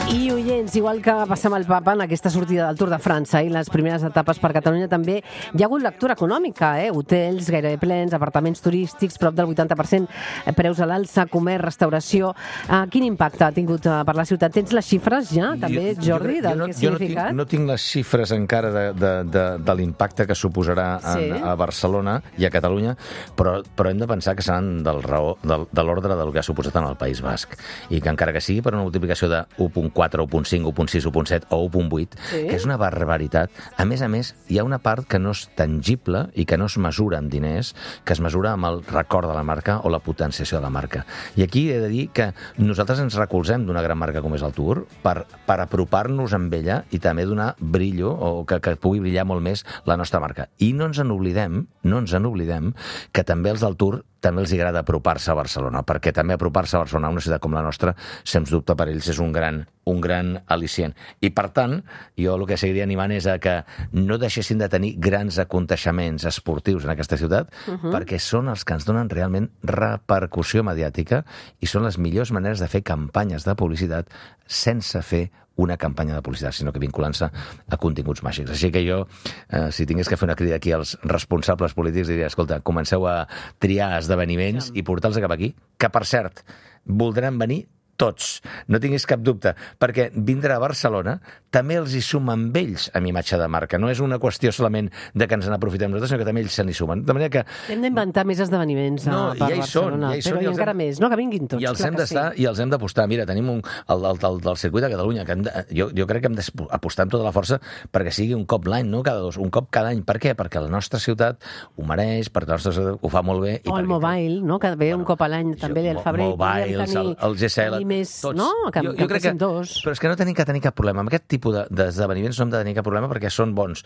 I oients, igual que va passar amb el Papa en aquesta sortida del Tour de França i les primeres etapes per Catalunya, també hi ha hagut lectura econòmica, eh? Hotels gairebé plens, apartaments turístics, prop del vuitanta per cent preus a l'alça, comerç, restauració. Uh, quin impacte ha tingut uh, per la ciutat? Tens les xifres ja, també, Jordi, del no, que ha jo no tinc, significat? no tinc les xifres encara de, de, de, de l'impacte que suposarà en, Sí. a Barcelona i a Catalunya, però, però hem de pensar que seran del raó, del, de l'ordre del que ha suposat en el País Basc. I que encara que sigui per una multiplicació de u coma quatre, u coma cinc, u coma sis, u coma set o u coma vuit, Sí. que és una barbaritat. A més a més, hi ha una part que no és tangible i que no es mesura en diners, que es mesura amb el record de la marca o la potenciació de la marca. I aquí he de dir que nosaltres ens recolzem d'una gran marca com és el Tour per, per apropar-nos amb ella i també donar brillo o que, que pugui brillar molt més la nostra marca. I no ens en oblidem, no ens en oblidem que també els del Tour també els agrada apropar-se a Barcelona, perquè també apropar-se a Barcelona, a una ciutat com la nostra, sens dubte per ells és un gran, un gran al·licient. I per tant, jo el que seguiria animant és a que no deixessin de tenir grans aconteixements esportius en aquesta ciutat, uh -huh. perquè són els que ens donen realment repercussió mediàtica i són les millors maneres de fer campanyes de publicitat sense fer una campanya de publicitat, sinó que vinculant-se a continguts màgics. Així que jo, eh, si tingués que fer una crida aquí als responsables polítics, diria, escolta, comenceu a triar esdeveniments i portar-los cap aquí, que, per cert, voldran venir tots, no tinguis cap dubte, perquè vindre a Barcelona també els hi suma amb ells amb imatge de marca. No és una qüestió solament de que ens n'aprofitem nosaltres, sinó que també ells se n'hi sumen. De manera que... Hem d'inventar més esdeveniments No, a, per ja hi són, Barcelona, ja hi són, però i i els encara hem- més, no? Que vinguin tots, I els clar hem que d'estar sí. i els hem d'apostar. Mira, tenim un, el, el, el, del circuit de Catalunya, que hem de, jo, jo crec que hem d'apostar amb tota la força perquè sigui un cop l'any, no cada dos, un cop cada any. Per què? Perquè la nostra ciutat ho mereix, perquè la nostra ciutat ho fa molt bé. I O el perquè- Mobile, no? Que ve Bueno, un cop a l'any, també jo- el febrer. Mobiles, podríem tenir, el, el G C L, tenir més, tots. no? Que, jo, que jo crec que, fessin dos. però és que no tenim que tenir cap problema. Amb aquest tipus de- d'esdeveniments no hem de tenir cap problema perquè són bons.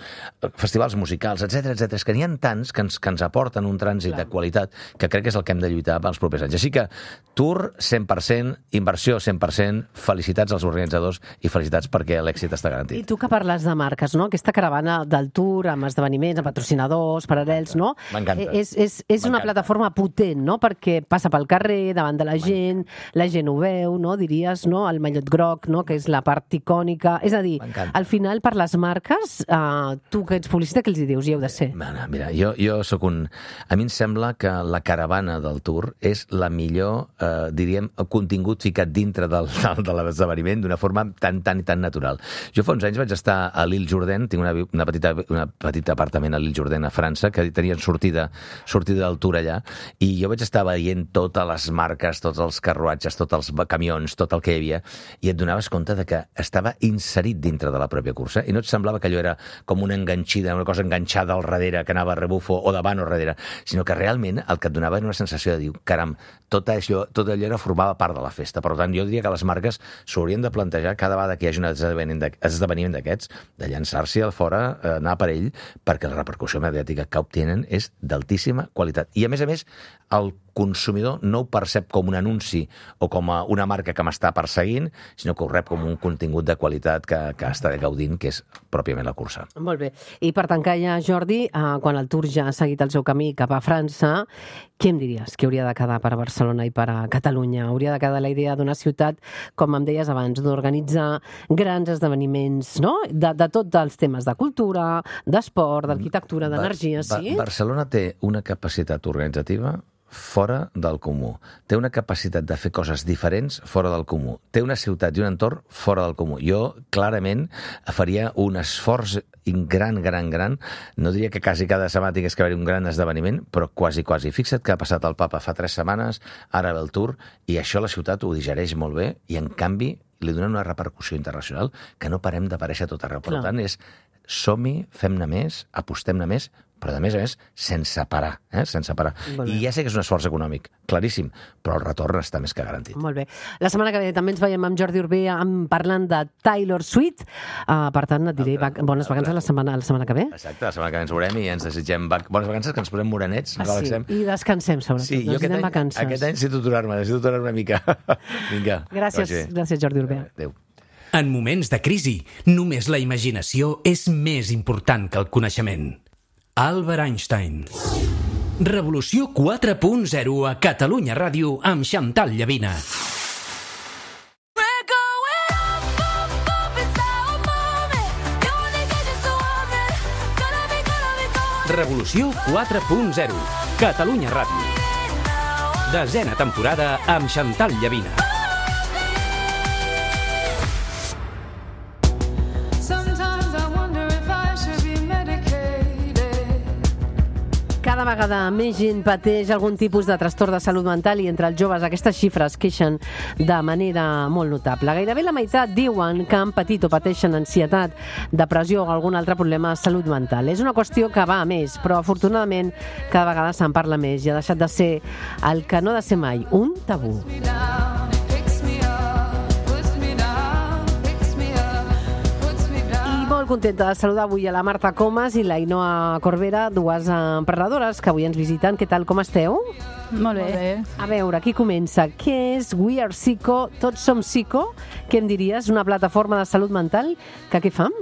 Festivals musicals, etcètera, etcètera. És que n'hi ha tants que ens, que ens aporten un trànsit de qualitat que crec que és el que hem de lluitar pels propers anys. Així que Tour cent per cent, inversió cent per cent, felicitats als organitzadors i felicitats perquè l'èxit està I garantit. tu que parles de marques, no? Aquesta caravana del Tour amb esdeveniments, amb patrocinadors, paral·lels, no? M'encanta. Eh, És, és, és una M'encanta. plataforma potent, no? Perquè passa pel carrer, davant de la gent, la gent ho veu, no? Diries, no? El mallot groc, no? Que és la part icònica. És a dir, M'encanta. al final, per les marques, eh, tu que ets publicista, què els hi dius? Hi heu de ser. Mira, mira, jo, jo sóc un... A mi em sembla que la caravana del Tour és la millor, eh, diríem, contingut ficat dintre del, del, de l'esdeveniment d'una forma tan, tan i tan natural. Jo fa uns anys vaig estar a l'Île Jourdain, tinc una, una petita, una petita apartament a l'Île Jourdain a França, que tenien sortida, sortida del Tour allà, i jo vaig estar veient totes les marques, tots els carruatges, tots els camions, tot el que hi havia, i et donaves compte de que estava inserit dintre de la pròpia cursa, i no et semblava que allò era com una enganxida, una cosa enganxada al darrere, que anava a rebufo o davant o darrere, sinó que realment el que et donava era una sensació de dir, caram, tot allò, tot allò era, formava part de la festa. Per tant, jo diria que les marques s'haurien de plantejar cada vegada que hi hagi un esdeveniment d'ac- esdeveniment d'aquests, de llançar-s'hi al fora, eh, anar per ell, perquè la repercussió mediàtica que obtenen és d'altíssima qualitat. I, a més a més, el consumidor no ho percep com un anunci o com a una marca que m'està perseguint, sinó que ho rep com un contingut de qualitat que, que està gaudint, que és pròpiament la cursa. Molt bé. I per tancar ja, Jordi, eh, quan el Tour ja ha seguit el seu camí cap a França, què em diries que hauria de quedar per a Barcelona i per a Catalunya? Hauria de quedar la idea d'una ciutat, com em deies abans, d'organitzar grans esdeveniments, no? De, de tots els temes de cultura, d'esport, d'arquitectura, d'energia, Ba- sí? Ba- Barcelona té una capacitat organitzativa fora del comú. Té una capacitat de fer coses diferents fora del comú. Té una ciutat i un entorn fora del comú. Jo, clarament, faria un esforç gran, gran, gran. No diria que quasi cada setmana tingués que haver un gran esdeveniment, però quasi, quasi. Fixa't que ha passat el Papa fa tres setmanes, ara ve el Tour, i això la ciutat ho digereix molt bé, i en canvi li donen una repercussió internacional que no parem d'aparèixer a tot arreu. Per Clar. tant, és som-hi, fem-ne més, apostem-ne més, però, a més a més, sense parar, eh? sense parar. Molt bé. I ja sé que és un esforç econòmic, claríssim, però el retorn està més que garantit. Molt bé. La setmana que ve també ens veiem amb Jordi Urbé amb, parlant de Taylor Swift. Uh, per tant, et diré vac bones vacances la setmana, la setmana que ve. Exacte, la setmana que ve ens veurem i ens desitgem vac bones vacances, que ens posem morenets, Ah, ens sí. relaxem. I descansem, sobretot. Sí, jo aquest Necessitem any, vacances. aquest any necessito aturar-me, necessito aturar-me una mica. Vinga. Gràcies, que vagi bé. gràcies Jordi Urbé. Adéu. En moments de crisi, només la imaginació és més important que el coneixement. Albert Einstein. Revolució quatre punt zero a Catalunya Ràdio amb Xantal Llavina. We're going up. Revolució quatre punt zero. Catalunya Ràdio. Desena temporada amb Xantal Llavina. Sometimes I wonder if I should be medicated. Cada vegada més gent pateix algun tipus de trastorn de salut mental i entre els joves aquestes xifres queixen de manera molt notable. Gairebé la meitat diuen que han patit o pateixen ansietat, depressió o algun altre problema de salut mental. És una qüestió que va a més, però afortunadament cada vegada se'n parla més i ha deixat de ser el que no ha de ser mai, un tabú. Me down, it picks me up, puts me down, picks me up, puts me down. I molt contenta de saludar avui a la Marta Comas i la Ainhoa Corbera, dues emprenedores que avui ens visiten. Què tal, com esteu? Molt bé. A veure, aquí comença. Què és We Are Psico? Tots som psico? Què em diries? Una plataforma de salut mental que què fam?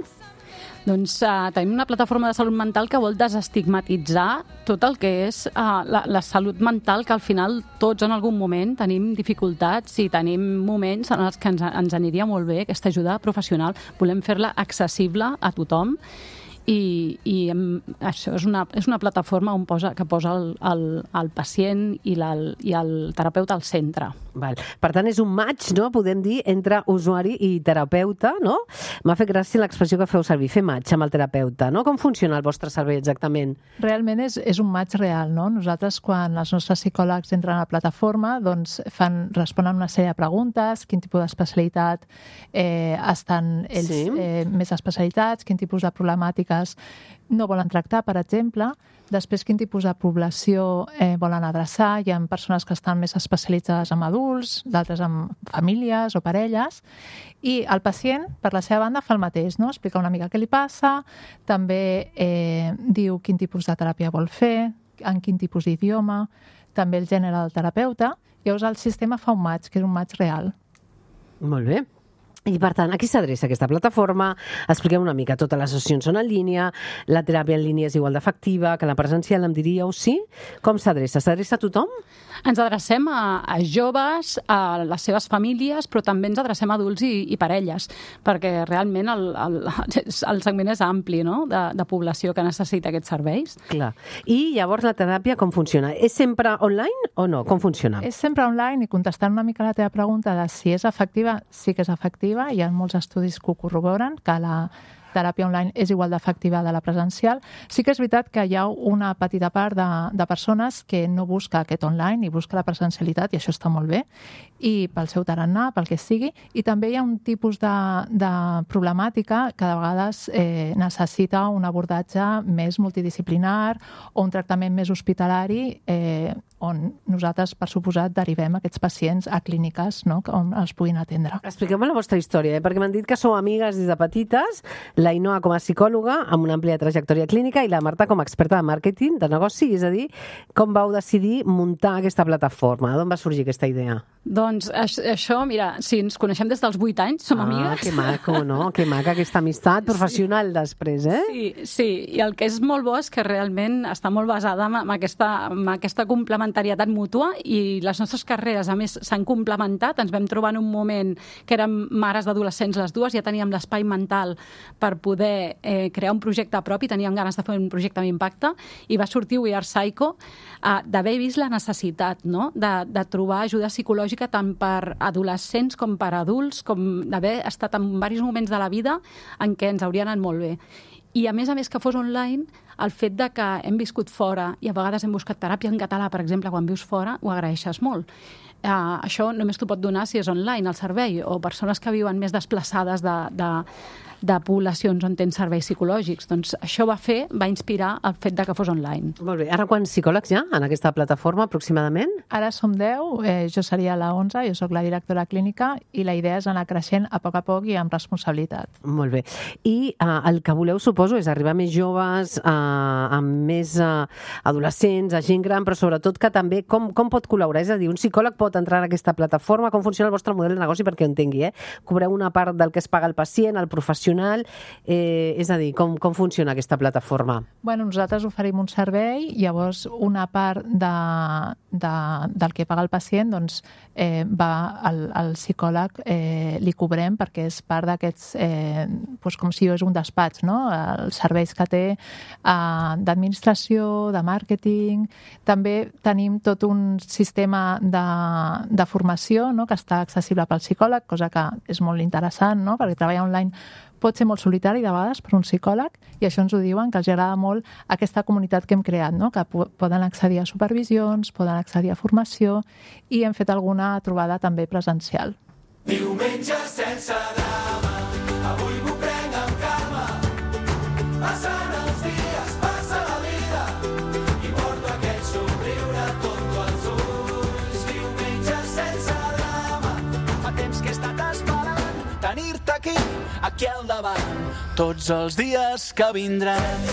Doncs uh, tenim una plataforma de salut mental que vol desestigmatitzar tot el que és uh, la, la salut mental, que al final tots en algun moment tenim dificultats i tenim moments en els que ens, ens aniria molt bé aquesta ajuda professional. Volem fer-la accessible a tothom i, i hem, això és una, és una plataforma on posa, que posa el, el, el pacient i, la, i el terapeuta al centre. Val. Per tant, és un match, no?, podem dir, entre usuari i terapeuta, no? M'ha fet gràcia l'expressió que feu servir, fer match amb el terapeuta, no? Com funciona el vostre servei exactament? Realment és, és un match real, no? Nosaltres, quan els nostres psicòlegs entren a la plataforma, doncs fan, responen una sèrie de preguntes, quin tipus d'especialitat eh, estan ells Sí. eh, més especialitats, quin tipus de problemàtiques no volen tractar, per exemple. Després, quin tipus de població eh, volen adreçar. Hi ha persones que estan més especialitzades en adults, d'altres en famílies o parelles. I el pacient, per la seva banda, fa el mateix, no? Explica una mica què li passa, també eh, diu quin tipus de teràpia vol fer, en quin tipus d'idioma, també el gènere del terapeuta. Llavors el sistema fa un match, que és un match real. Molt bé. I, per tant, a qui s'adreça aquesta plataforma? Expliquem una mica. Totes les sessions són en línia, la teràpia en línia és igual d'efectiva que la presencial, em diríeu, sí? Com s'adreça? S'adreça a tothom? Ens adrecem a, a joves, a les seves famílies, però també ens adrecem a adults i, i parelles, perquè realment el, el, el segment és ampli, no?, de, de població que necessita aquests serveis. Clar. I llavors la teràpia com funciona? És sempre online o no? Com funciona? És sempre online i contestant una mica la teva pregunta de si és efectiva, sí que és efectiva. Hi ha molts estudis que ho corroboren, que la teràpia online és igual d'efectiva de la presencial. Sí que és veritat que hi ha una petita part de, de persones que no busca aquest online i busca la presencialitat, i això està molt bé, i pel seu tarannà, pel que sigui. I també hi ha un tipus de, de problemàtica que de vegades eh, necessita un abordatge més multidisciplinar o un tractament més hospitalari, eh, on nosaltres, per suposat, derivem aquests pacients a clíniques, no?, on els puguin atendre. Expliqueu-me la vostra història, eh? Perquè m'han dit que sou amigues des de petites, la Ainhoa com a psicòloga, amb una àmplia trajectòria clínica, i la Marta com a experta de màrqueting, de negoci, és a dir, com vau decidir muntar aquesta plataforma? D'on va sorgir aquesta idea? Doncs això, mira, sí, ens coneixem des dels vuit anys, som ah, amigues. Que maco, no? Que maca aquesta amistat professional sí. després, eh? Sí, sí, i el que és molt bo és que realment està molt basada en, en, aquesta, en aquesta complementarietat mútua, i les nostres carreres, a més, s'han complementat. Ens vam trobar en un moment que érem mares d'adolescents les dues, ja teníem l'espai mental per poder eh, crear un projecte propi, teníem ganes de fer un projecte amb impacte, i va sortir We Are Psycho, eh, d'haver vist la necessitat, no?, de, de trobar ajuda psicològica tant per adolescents com per adults, com d'haver estat en diversos moments de la vida en què ens hauria anat molt bé. I a més a més que fos online, el fet de que hem viscut fora i a vegades hem buscat teràpia en català, per exemple, quan vius fora, ho agraeixes molt. Uh, això només t'ho pot donar si és online el servei, o persones que viuen més desplaçades de, de, de poblacions on tens serveis psicològics. Doncs això va fer, va inspirar el fet de que fos online. Molt bé. Ara quants psicòlegs hi ha en aquesta plataforma aproximadament? Ara som deu, eh, jo seria la onze, jo sóc la directora clínica, i la idea és anar creixent a poc a poc i amb responsabilitat. Molt bé. I uh, el que voleu, suposo, és arribar a més joves, uh, amb més uh, adolescents, a gent gran, però sobretot que també com, com pot col·laborar? És a dir, un psicòleg pot entrar en aquesta plataforma? Com funciona el vostre model de negoci perquè ho entengui, eh? Cobreu una part del que es paga el pacient, el professional, eh, és a dir, com, com funciona aquesta plataforma? Bueno, nosaltres oferim un servei, llavors una part de, de, del que paga el pacient doncs, eh, va al, al psicòleg, eh, li cobrem perquè és part d'aquests, eh, doncs com si és un despatx, no?, els serveis que té a, de- d'administració, de màrqueting. També tenim tot un sistema de, de formació, no?, que està accessible pel psicòleg, cosa que és molt interessant, no?, perquè treballar online pot ser molt solitari de vegades per un psicòleg, i això ens ho diuen, que els agrada molt aquesta comunitat que hem creat, no?, que po- poden accedir a supervisions, poden accedir a formació, i hem fet alguna trobada també presencial. Diumenge sense drama, avui m'ho prenc amb calma. Passen els dies, passa la vida, i porto aquest somriure tonto als ulls. Diumenge sense drama, fa temps que he estat esperant tenir-te aquí, aquí al davant, tots els dies que vindran.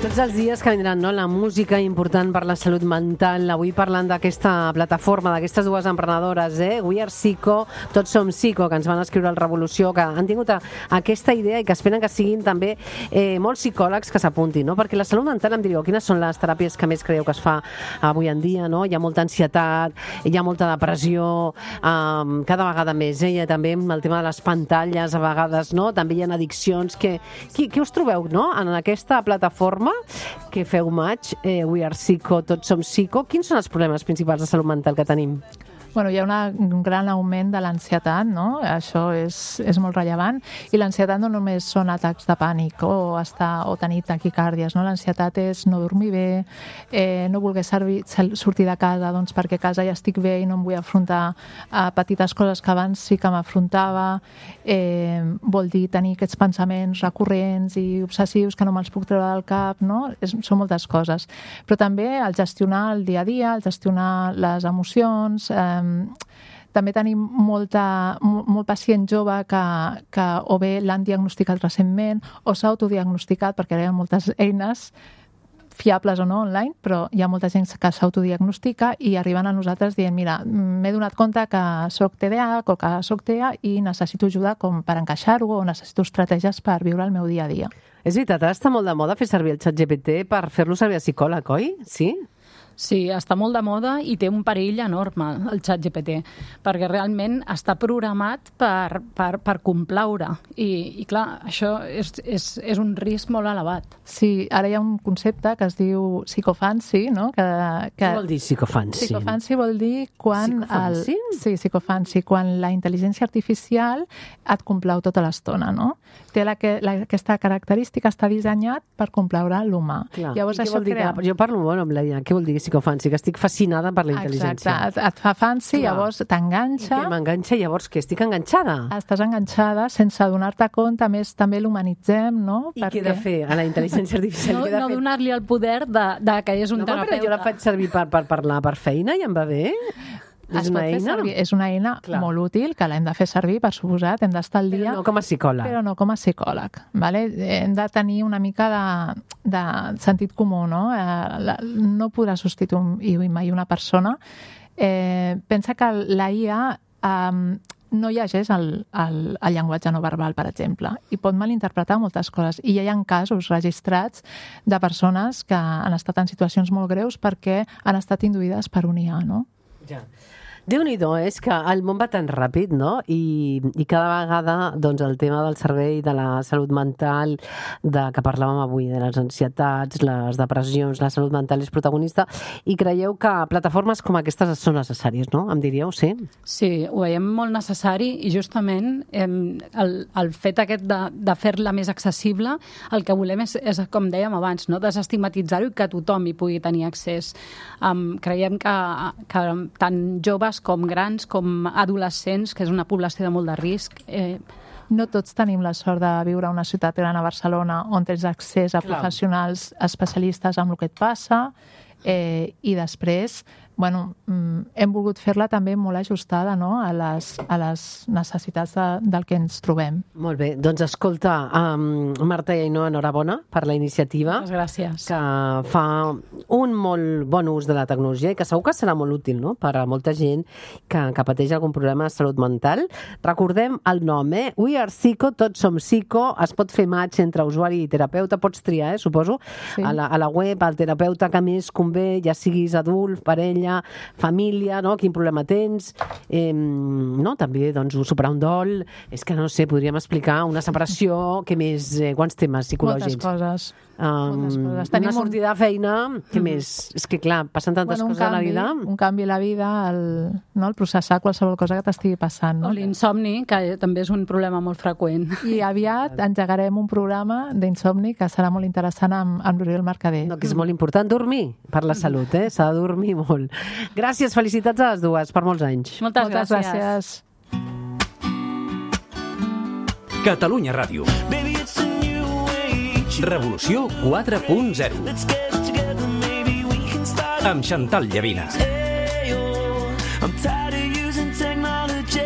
Tots els dies que vindran, no? La música important per la salut mental. Avui parlant d'aquesta plataforma, d'aquestes dues emprenedores, eh? We Are Psico, Tots Som Psico, que ens van escriure al Revolució, que han tingut a, aquesta idea i que esperen que siguin també eh, molts psicòlegs que s'apuntin, no? Perquè la salut mental, em diríeu, quines són les teràpies que més creieu que es fa avui en dia, no? Hi ha molta ansietat, hi ha molta depressió, eh, cada vegada més, eh? Hi ha també amb el tema de les pantalles, a vegades, no? També hi ha addiccions. Què, què, què us trobeu, no?, en aquesta plataforma que feu maig, eh, We Are Psico, Tots Som Psico? Quins són els problemes principals de salut mental que tenim? Bueno, hi ha una, un gran augment de l'ansietat, no? Això és, és molt rellevant. I l'ansietat no només són atacs de pànic o, estar, o tenir taquicàrdies, no? L'ansietat és no dormir bé, eh, no voler servir, sortir de casa doncs, perquè a casa ja estic bé i no em vull afrontar a petites coses que abans sí que m'afrontava. Eh, vol dir tenir aquests pensaments recurrents i obsessius que no me'ls puc treure del cap, no? És, són moltes coses. Però també el gestionar el dia a dia, el gestionar les emocions. Eh, també tenim molta, molt pacient jove que, que o bé l'han diagnosticat recentment o s'ha autodiagnosticat, perquè hi ha moltes eines fiables o no online, però hi ha molta gent que s'autodiagnostica i arriben a nosaltres dient, mira, m'he donat compte que soc T D A H o que soc T E A i necessito ajuda com per encaixar-ho o necessito estratègies per viure el meu dia a dia. És veritat, ara està molt de moda fer servir el xat G P T per fer-lo servir a psicòleg, oi? Sí? Sí, està molt de moda i té un perill enorme, el xat G P T, perquè realment està programat per, per, per complaure. I, i clar, això és, és, és un risc molt elevat. Sí, ara hi ha un concepte que es diu psicofancy, no? Que, que... Què vol dir psicofancy? Psicofancy vol dir quan... Psicofancy? El... Sí, psicofancy, quan la intel·ligència artificial et complau tota l'estona, no? Té la, que, la, aquesta característica, està dissenyat per complaure l'humà. Clar. Llavors, I què això vol dir? crea... Que, jo parlo bueno, amb la I A. Què vol dir psicofancy? Que estic fascinada per la intel·ligència. Exacte, et, et fa fancy, Clar. llavors t'enganxa. I que m'enganxa, llavors que estic enganxada. Estàs enganxada sense donar-te compte, a més també l'humanitzem, no? I què he de fer a la intel·ligència artificial? No, Què he de no fer? donar-li el poder de, de que és un No, però terapeuta. jo la faig servir per, per parlar per feina i em va bé. És Es pot una fer eina? servir. És una eina Clar. molt útil, que l'hem de fer servir, per suposat, hem d'estar al dia. Però no com a psicòleg. Però no com a psicòleg. Vale? Hem de tenir una mica de, de sentit comú, no? Eh, la, no podrà substituir mai una persona. Eh, pensa que la I A eh, no llegeix el, el, el llenguatge no verbal, per exemple, i pot malinterpretar moltes coses. I ja hi ha casos registrats de persones que han estat en situacions molt greus perquè han estat induïdes per un I A, no? Ja. Déu-n'hi-do, és que el món va tan ràpid, no? I, i cada vegada doncs, el tema del servei de la salut mental, de que parlàvem avui, de les ansietats, les depressions, la salut mental és protagonista, i creieu que plataformes com aquestes són necessàries, no? Em diríeu, sí? Sí, ho veiem molt necessari i justament eh, el, el fet aquest de, de fer-la més accessible, el que volem és, és com dèiem abans, no? Desestigmatitzar-ho i que tothom hi pugui tenir accés. Um, creiem que, que tant joves com grans, com adolescents, que és una població de molt de risc. Eh... No tots tenim la sort de viure a una ciutat gran a Barcelona on tens accés a Clar. professionals especialistes amb el que et passa, eh, i després bueno, hem volgut fer-la també molt ajustada, no?, a les, a les necessitats de, del que ens trobem. Molt bé, doncs escolta, um, Marta i Ainhoa, enhorabona per la iniciativa. Moltes gràcies. Que fa un molt bon ús de la tecnologia i que segur que serà molt útil, no?, per a molta gent que, que pateix algun problema de salut mental. Recordem el nom, eh? We Are Psico, Tots Som Psico, es pot fer match entre usuari i terapeuta, pots triar, eh, suposo, sí. a, la, a la web, el terapeuta que més convé, ja siguis adult, parella, treballar, família, no? Quin problema tens, eh, no? També doncs, superar un dol, és que no sé, podríem explicar una separació, què més, eh, quants temes psicològics? Moltes coses. Um, Moltes coses. una Tenim un- sortida de feina, què més? És que clar, passen tantes Bueno, un coses a la canvi, vida. un canvi a la vida, el, no? el processar qualsevol cosa que t'estigui passant. O No? l'insomni, que també és un problema molt freqüent. I aviat engegarem un programa d'insomni que serà molt interessant amb, amb l'Oriol Mercader. No, que és molt important dormir per la salut, eh? S'ha de dormir molt. Gràcies, felicitats a les dues per molts anys. Moltes, Moltes gràcies. Catalunya Ràdio. Revolució quatre punt zero. Amb Chantal Llavina. I'm tired of using technology.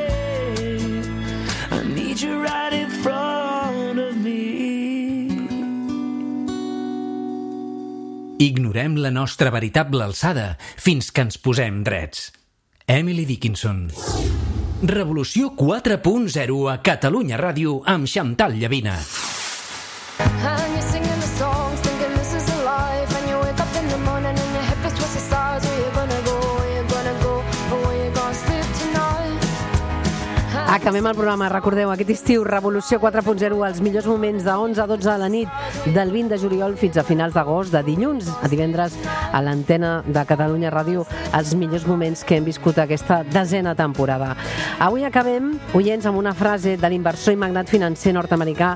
I need you right in front of me. Ignorem la nostra veritable alçada fins que ens posem drets. Emily Dickinson. Revolució quatre punt zero a Catalunya Ràdio amb Chantal Llavina. And you're singing the songs, thinking this is a life. And you wake up in the morning and your hip is twisted sides. Where you gonna go, where you gonna go, or where you gonna sleep tonight? Acabem el programa. Recordeu, aquest estiu, Revolució quatre punt zero, els millors moments de onze a dotze de la nit, del vint de juliol fins a finals d'agost, de dilluns a divendres, a l'antena de Catalunya Ràdio, els millors moments que hem viscut aquesta desena temporada. Avui acabem, oients, amb una frase de l'inversor i magnat financer nord-americà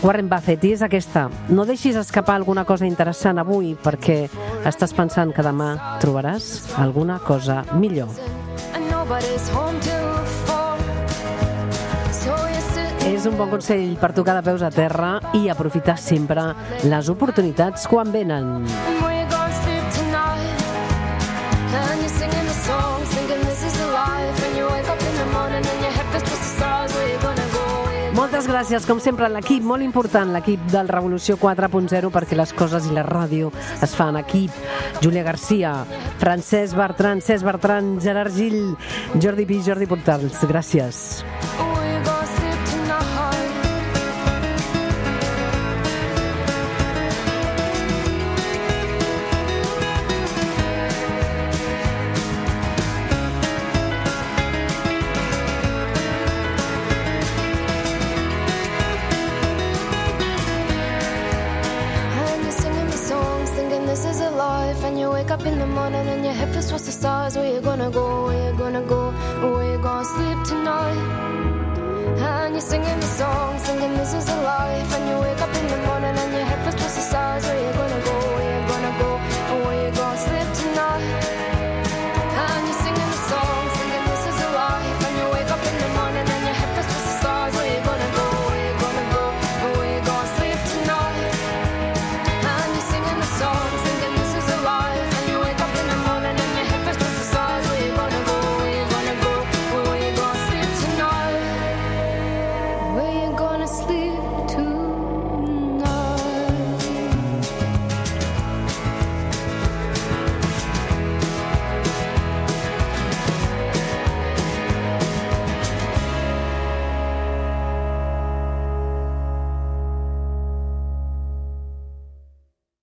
Warren Buffett, i és aquesta: no deixis escapar alguna cosa interessant avui, perquè estàs pensant que demà trobaràs alguna cosa millor. And nobody's home till four. So you sit És un bon consell per tocar de peus a terra i aprofitar sempre les oportunitats quan venen. and where you gonna sleep tonight? And you're singing the songs, thinking this is a life. And you wake up in the morning and your hip is twisted sides. Where you gonna go, where you Moltes gràcies, com sempre, a l'equip, molt important, l'equip del Revolució quatre punt zero, perquè les coses i la ràdio es fan en equip. Júlia Garcia, Francesc Bertran, Cesc Bertran, Gerard Gil, Jordi Pi, Jordi Portals. Gràcies. where you gonna sleep tonight? And you're singing the songs, thinking this is a life. And you wake up in the morning and your hip is twisted the stars. Where you gonna go, where you gonna go, where you gonna sleep tonight? And you're singing the songs, thinking this is a life. And you wake up in the morning and your hip is